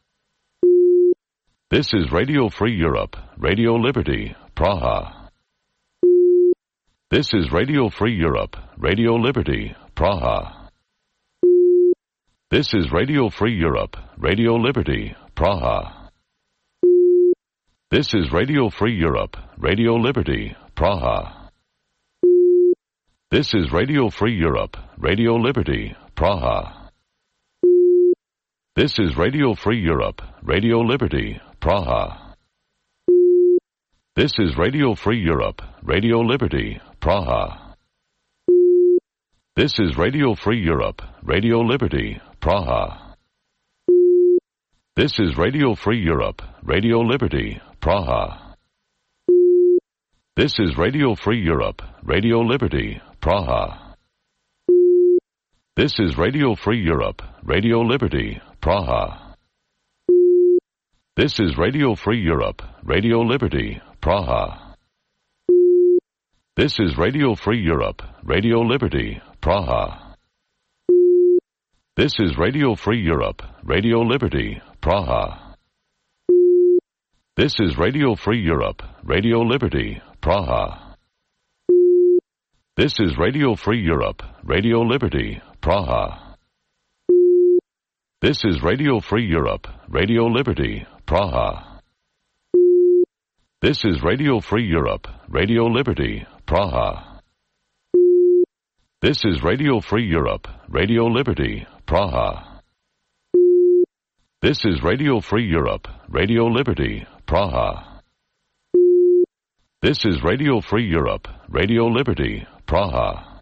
This is Radio Free Europe, Radio Liberty, Praha. This is Radio Free Europe, Radio Liberty, Praha. This is Radio Free Europe, Radio Liberty, Praha. This is Radio Free Europe, Radio Liberty, Praha. This is Radio Free Europe, Radio Liberty, Praha. This is Radio Free Europe, Radio Liberty, Praha. This is Radio Free Europe, Radio Liberty, Praha. This is Radio Free Europe, Radio Liberty, Praha. This is Radio Free Europe, Radio Liberty, Praha. This is Radio Free Europe, Radio Liberty, Praha. This is Radio Free Europe, Radio Liberty, Praha. This is Radio Free Europe, Radio Liberty, Praha. This is Radio Free Europe, Radio Liberty, Praha. This is Radio Free Europe, Radio Liberty, Praha. This is Radio Free Europe, Radio Liberty, Praha. This is Radio Free Europe, Radio Liberty, Praha. This is Radio Free Europe, Radio Liberty, Praha. This is Radio Free Europe, Radio Liberty, Praha. This is Radio Free Europe, Radio Liberty, Praha. This is Radio Free Europe, Radio Liberty, Praha. This is Radio Free Europe, Radio Liberty, Praha.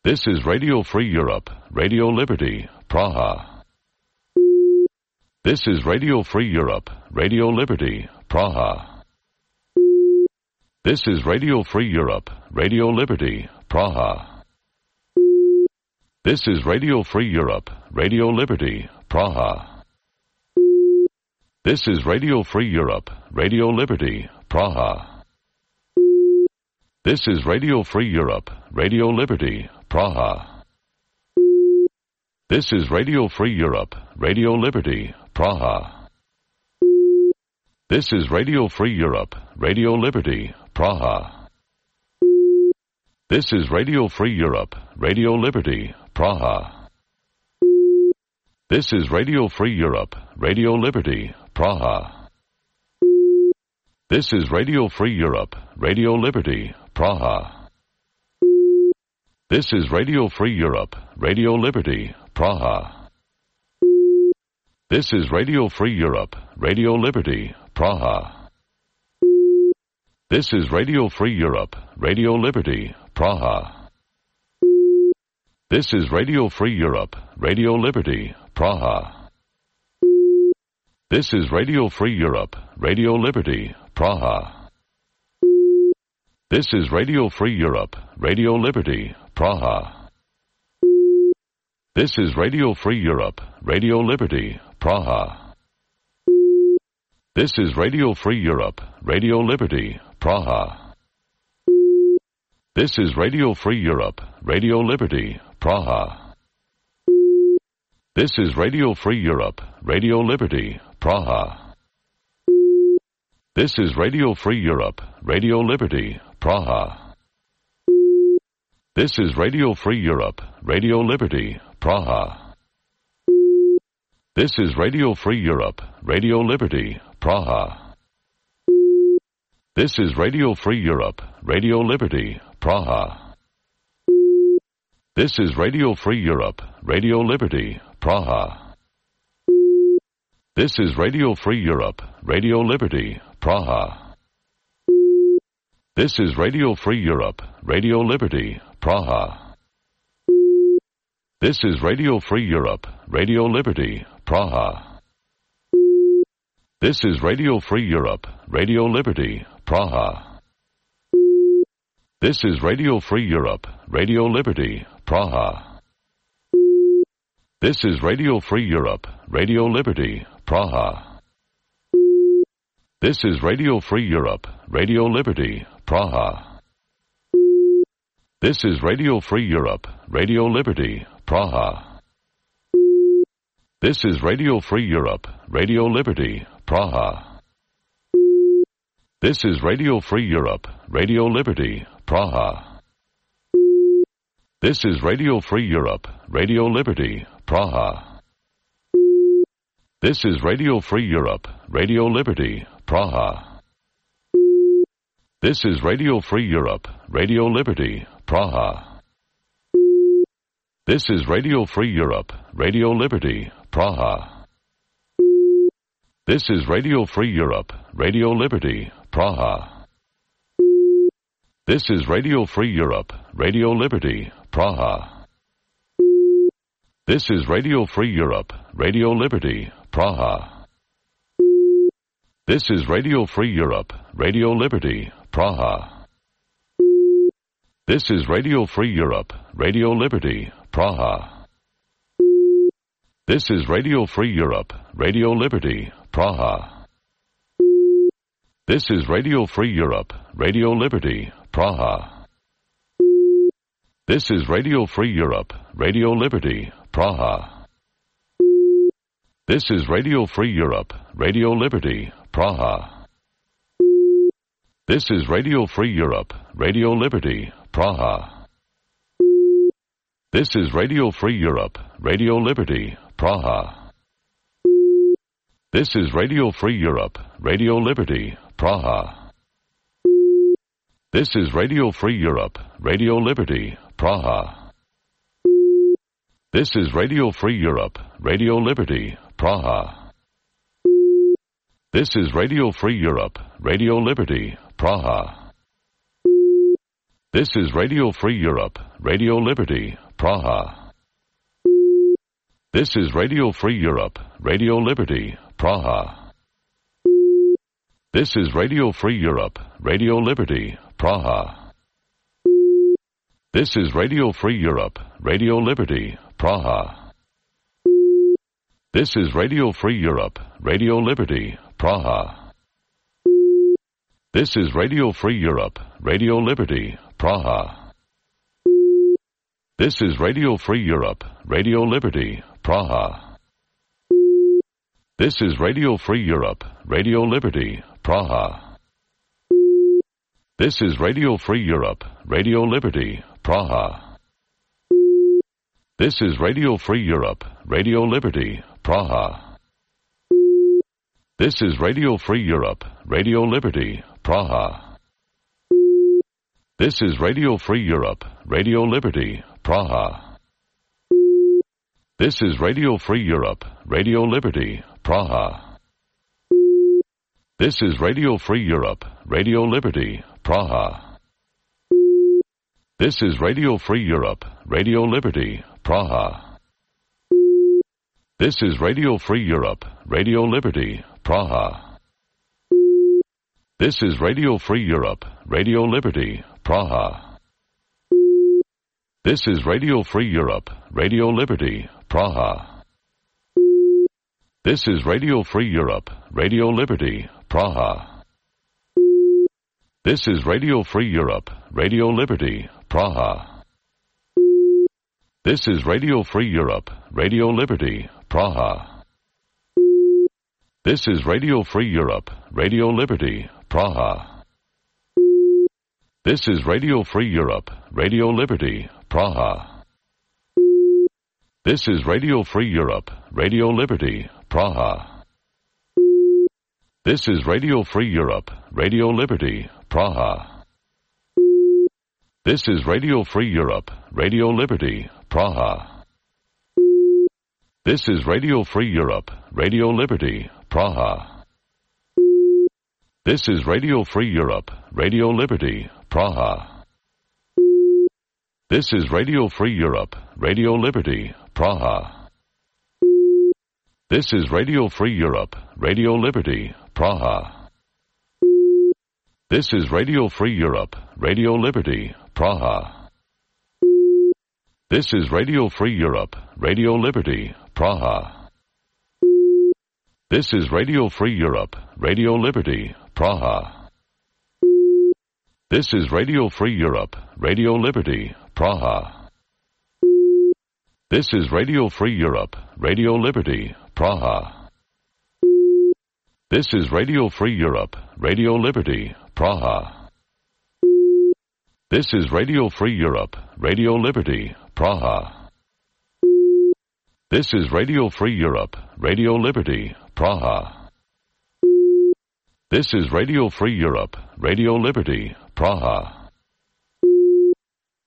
This is Radio Free Europe, Radio Liberty, Praha. This is Radio Free Europe, Radio Liberty, Praha. This is Radio Free Europe, Radio Liberty, Praha. This is Radio Free Europe, Radio Liberty, Praha. This is Radio Free Europe, Radio Liberty, Praha. This is Radio Free Europe, Radio Liberty, Praha. This is Radio Free Europe, Radio Liberty, Praha. This is Radio Free Europe, Radio Liberty, Praha. This is Radio Free Europe, Radio Liberty, Praha. This is Radio Free Europe, Radio Liberty, Praha. This is Radio Free Europe, Radio Liberty, Praha. This is Radio Free Europe, Radio Liberty, Praha. This is Radio Free Europe, Radio Liberty, Praha. This is Radio Free Europe, Radio Liberty, Praha. This is Radio Free Europe, Radio Liberty, Praha. This is Radio Free Europe, Radio Liberty, Praha. This is Radio Free Europe, Radio Liberty, Praha. This is Radio Free Europe, Radio Liberty, Praha. This is Radio Free Europe, Radio Liberty, Praha. This is Radio Free Europe, Radio Liberty, Praha. This is Radio Free Europe, Radio Liberty, Praha. This is Radio Free Europe, Radio Liberty, Praha. This is Radio Free Europe, Radio Liberty, Praha. This is Radio Free Europe, Radio Liberty, Praha. This is Radio Free Europe, Radio Liberty, Praha. This is Radio Free Europe, Radio Liberty, Praha. This is Radio Free Europe, Radio Liberty, Praha. This is Radio Free Europe, Radio Liberty, Praha. This is Radio Free Europe, Radio Liberty, Praha. This is Radio Free Europe, Radio Liberty, Praha. This is Radio Free Europe, Radio Liberty, Praha. This is Radio Free Europe, Radio Liberty, Praha. This is Radio Free Europe, Radio Liberty, Praha. This is Radio Free Europe, Radio Liberty, Praha. This is Radio Free Europe, Radio Liberty, Praha. This is Radio Free Europe, Radio Liberty, Praha. This is Radio Free Europe, Radio Liberty, Praha. This is Radio Free Europe, Radio Liberty, Praha. This is Radio Free Europe, Radio Liberty, Praha. This is Radio Free Europe, Radio Liberty, Praha. This is Radio Free Europe, Radio Liberty, Praha. This is Radio Free Europe, Radio Liberty, Praha. This is Radio Free Europe, Radio Liberty, Praha. This is Radio Free Europe, Radio Liberty, Praha. This is Radio Free Europe, Radio Liberty, Praha. This is Radio Free Europe, Radio Liberty, Praha. This is Radio Free Europe, Radio Liberty, Praha. This is Radio Free Europe, Radio Liberty, Praha. This is Radio Free Europe, Radio Liberty, Praha. This is Radio Free Europe, Radio Liberty, Praha. This is Radio Free Europe, Radio Liberty, Praha. This is Radio Free Europe, Radio Liberty, Praha. This is Radio Free Europe, Radio Liberty, Praha. This is Radio Free Europe, Radio Liberty, Praha. This is Radio Free Europe, Radio Liberty, Praha. This is Radio Free Europe, Radio Liberty, Praha. This is Radio Free Europe, Radio Liberty, Praha. This is Radio Free Europe, Radio Liberty, Praha. This is Radio Free Europe, Radio Liberty, Praha. This is Radio Free Europe, Radio Liberty, Praha. This is Radio Free Europe, Radio Liberty, Praha. This is Radio Free Europe, Radio Liberty, Praha. This is Radio Free Europe, Radio Liberty, Praha. This is Radio Free Europe, Radio Liberty, Praha. This is Radio Free Europe, Radio Liberty, Praha. This is Radio Free Europe, Radio Liberty, Praha. This is Radio Free Europe, Radio Liberty, Praha. This is Radio Free Europe, Radio Liberty, Praha. This is Radio Free Europe, Radio Liberty, Praha. This is Radio Free Europe, Radio Liberty, Praha. This is Radio Free Europe, Radio Liberty, Praha. This is Radio Free Europe, Radio Liberty, Praha. This is Radio Free Europe, Radio Liberty, Praha. This is Radio Free Europe, Radio Liberty, Praha. This is Radio Free Europe, Radio Liberty, Praha. This is Radio Free Europe, Radio Liberty, Praha. This is Radio Free Europe, Radio Liberty, Praha. This is Radio Free Europe, Radio Liberty, Praha. This is Radio Free Europe, Radio Liberty, Praha. This is Radio Free Europe, Radio Liberty, Praha. This is Radio Free Europe, Radio Liberty, Praha. This is Radio Free Europe, Radio Liberty, Praha. This is Radio Free Europe, Radio Liberty, Praha. This is Radio Free Europe, Radio Liberty, Praha. This is Radio Free Europe, Radio Liberty, Praha. This is Radio Free Europe, Radio Liberty, Praha. This is Radio Free Europe, Radio Liberty, Praha. This is Radio Free Europe, Radio Liberty, Praha. This is Radio Free Europe, Radio Liberty, Praha. This is Radio Free Europe, Radio Liberty, Praha. This is Radio Free Europe, Radio Liberty, Praha. This is Radio Free Europe, Radio Liberty, Praha. This is Radio Free Europe, Radio Liberty, Praha. This is Radio Free Europe, Radio Liberty, Praha.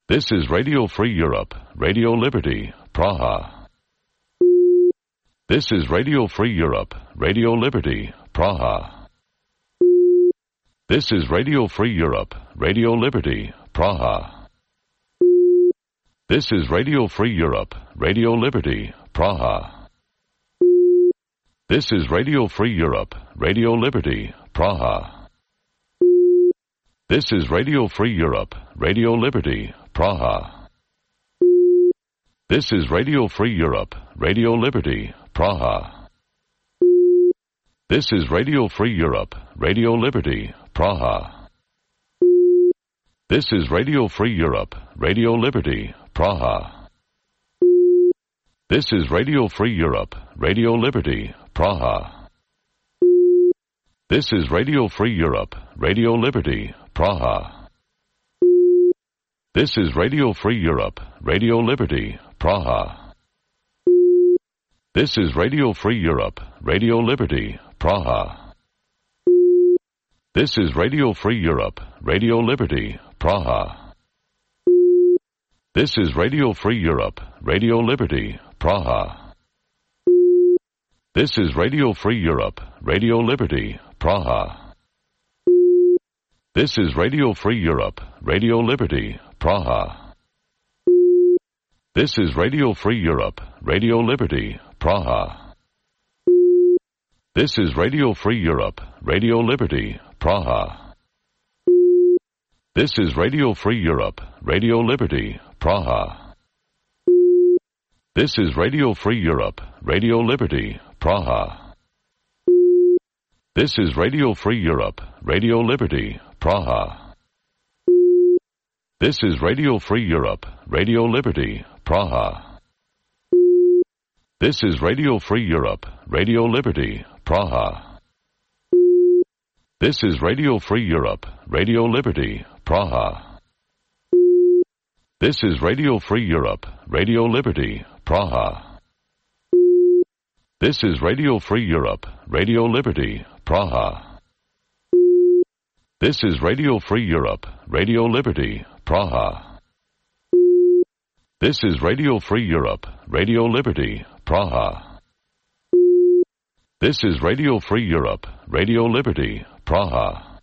This is Radio Free Europe, Radio Liberty, Praha. This is Radio Free Europe, Radio Liberty, Praha. This is Radio Free Europe, Radio Liberty, Praha. This is Radio Free Europe, Radio Liberty, Praha. This is Radio Free Europe, Radio Liberty, Praha. This is Radio Free Europe, Radio Liberty, Praha. This is Radio Free Europe, Radio Liberty, Praha. This is Radio Free Europe, Radio Liberty, Praha. This is Radio Free Europe, Radio Liberty, Praha. This is Radio Free Europe, Radio Liberty, Praha. This is Radio Free Europe, Radio Liberty, Praha. This is Radio Free Europe, Radio Liberty, Praha. This is Radio Free Europe, Radio Liberty, Praha. This is Radio Free Europe, Radio Liberty, Praha. This is Radio Free Europe, Radio Liberty, Praha. This is Radio Free Europe, Radio Liberty, Praha. This is Radio Free Europe, Radio Liberty, Praha. This is Radio Free Europe, Radio Liberty, Praha. This is Radio Free Europe, Radio Liberty, Praha. This is Radio Free Europe, Radio Liberty, Praha. This is Radio Free Europe, Radio Liberty, Praha. This is Radio Free Europe, Radio Liberty, Praha. This is Radio Free Europe, Radio Liberty, Praha. This is Radio Free Europe, Radio Liberty, Praha. This is Radio Free Europe, Radio Liberty, Praha. This is Radio Free Europe, Radio Liberty, Praha. This is Radio Free Europe, Radio Liberty, Praha. This is Radio Free Europe, Radio Liberty, Praha. This is Radio Free Europe, Radio Liberty, Praha. This is Radio Free Europe, Radio Liberty, Praha.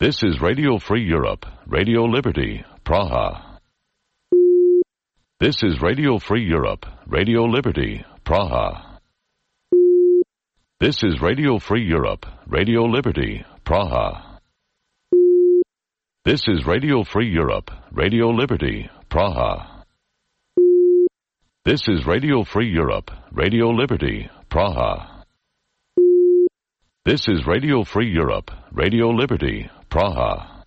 This is Radio Free Europe, Radio Liberty, Praha. This is Radio Free Europe, Radio Liberty, Praha. This is Radio Free Europe, Radio Liberty, Praha. This is Radio Free Europe, Radio Liberty, Praha. This is Radio Free Europe, Radio Liberty, Praha. This is Radio Free Europe, Radio Liberty, Praha.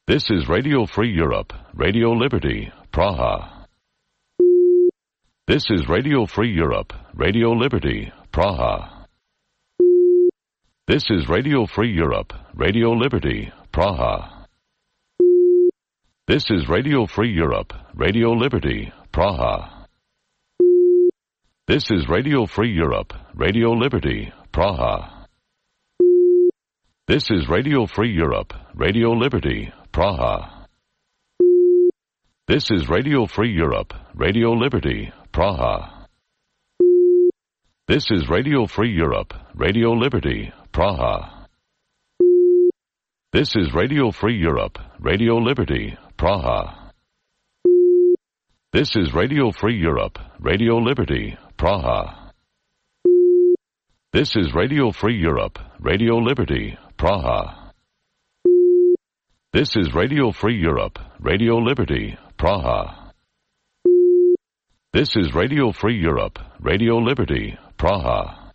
This is Radio Free Europe, Radio Liberty, Praha. This is Radio Free Europe, Radio Liberty, Praha. This is Radio Free Europe, Radio Liberty, Praha. This is Radio Free Europe, Radio Liberty, Praha. This is Radio Free Europe, Radio Liberty, Praha. This is Radio Free Europe, Radio Liberty, Praha. This is Radio Free Europe, Radio Liberty, Praha. This is Radio Free Europe, Radio Liberty, Praha. This is Radio Free Europe, Radio Liberty, Praha. This is Radio Free Europe, Radio Liberty, Praha. This is Radio Free Europe, Radio Liberty, Praha. This is Radio Free Europe, Radio Liberty, Praha. This is Radio Free Europe, Radio Liberty, Praha.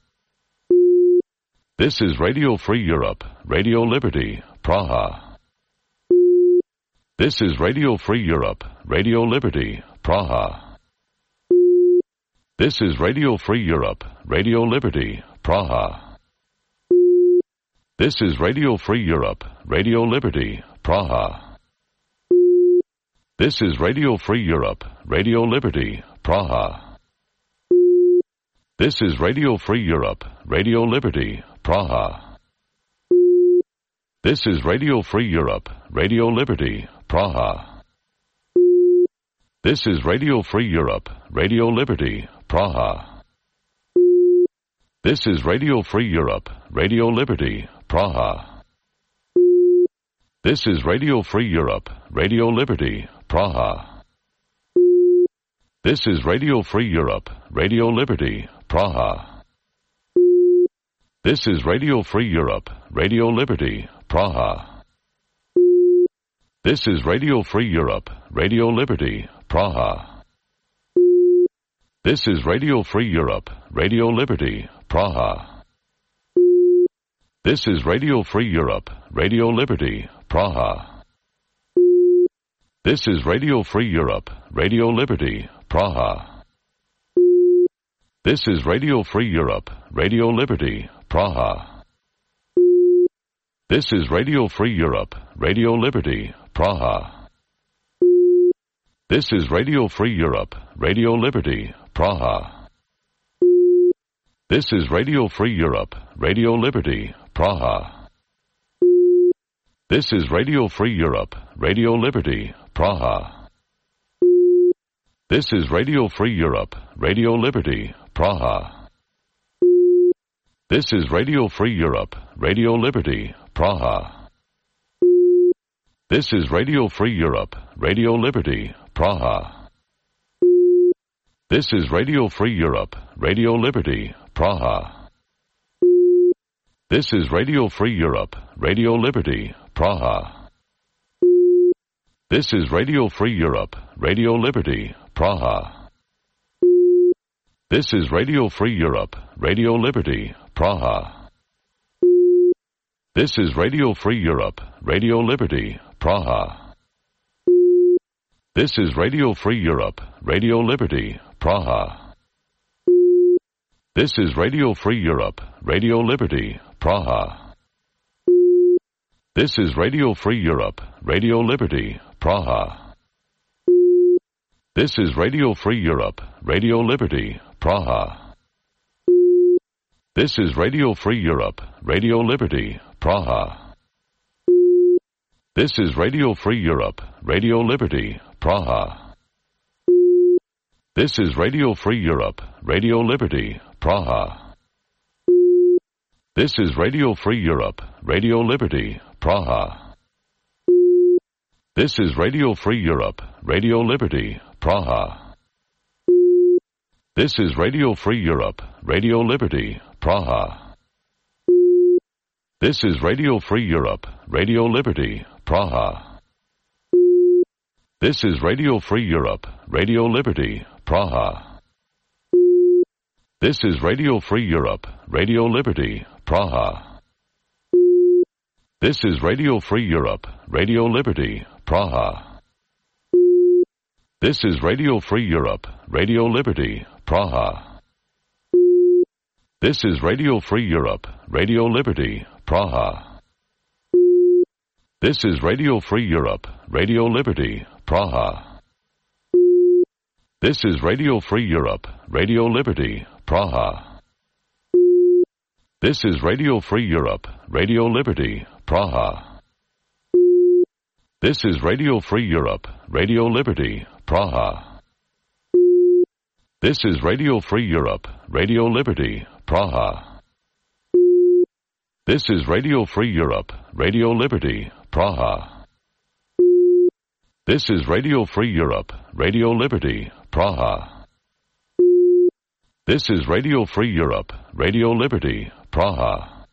This is Radio Free Europe, Radio Liberty, Praha. This is Radio Free Europe, Radio Liberty, Praha. This is Radio Free Europe, Radio Liberty, Praha. This is Radio Free Europe, Radio Liberty, Praha. This is Radio Free Europe, Radio Liberty, Praha. This is Radio Free Europe, Radio Liberty, Praha. This is Radio Free Europe, Radio Liberty, Praha. This is Radio Free Europe, Radio Liberty, Praha. This is Radio Free Europe, Radio Liberty, Praha. This is Radio Free Europe, Radio Liberty, Praha. This is Radio Free Europe, Radio Liberty, Praha. This is Radio Free Europe, Radio Liberty, Praha. This is Radio Free Europe, Radio Liberty, Praha. This is Radio Free Europe, Radio Liberty, Praha. This is Radio Free Europe, Radio Liberty, Praha. This is Radio Free Europe, Radio Liberty, Praha. This is Radio Free Europe, Radio Liberty, Praha. This is Radio Free Europe, Radio Liberty, Praha. This is Radio Free Europe, Radio Liberty, Praha. This is Radio Free Europe, Radio Liberty, Praha. This is Radio Free Europe, Radio Liberty, Praha. This is Radio Free Europe, Radio Liberty, Praha. This is Radio Free Europe, Radio Liberty, Praha. This is Radio Free Europe, Radio Liberty, Praha. This is Radio Free Europe, Radio Liberty, Praha. This is Radio Free Europe, Radio Liberty, Praha. This is Radio Free Europe, Radio Liberty, Praha. This is Radio Free Europe, Radio Liberty, Praha. This is Radio Free Europe, Radio Liberty, Praha. This is Radio Free Europe, Radio Liberty, Praha. This is Radio Free Europe, Radio Liberty, Praha. This is Radio Free Europe, Radio Liberty, Praha. This is Radio Free Europe, Radio Liberty, Praha. This is Radio Free Europe, Radio Liberty, Praha. This is Radio Free Europe, Radio Liberty, Praha. This is Radio Free Europe, Radio Liberty, Praha. This is Radio Free Europe, Radio Liberty, Praha. This is Radio Free Europe, Radio Liberty, Praha. This is Radio Free Europe, Radio Liberty, Praha. This is Radio Free Europe, Radio Liberty, Praha. This is Radio Free Europe, Radio Liberty, Praha. This is Radio Free Europe, Radio Liberty, Praha. This is Radio Free Europe, Radio Liberty, Praha. This is Radio Free Europe, Radio Liberty, Praha. This is Radio Free Europe, Radio Liberty, Praha. This is Radio Free Europe, Radio Liberty, Praha. This is Radio Free Europe, Radio Liberty, Praha. This is Radio Free Europe, Radio Liberty, Praha. This is Radio Free Europe, Radio Liberty, Praha. This is Radio Free Europe, Radio Liberty, Praha. This is Radio Free Europe, Radio Liberty, Praha. This is Radio Free Europe, Radio Liberty, Praha. This is Radio Free Europe, Radio Liberty, Praha.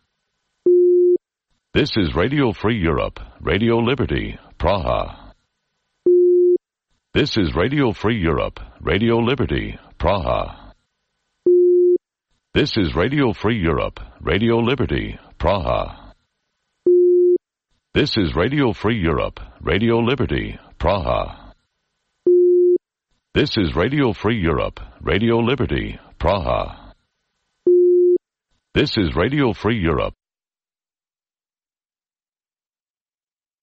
This is Radio Free Europe, Radio Liberty, Praha. This is Radio Free Europe, Radio Liberty, Praha. This is Radio Free Europe, Radio Liberty, Praha. This is Radio Free Europe, Radio Liberty, Praha. This is Radio Free Europe, Radio Liberty, Praha. This is Radio Free Europe,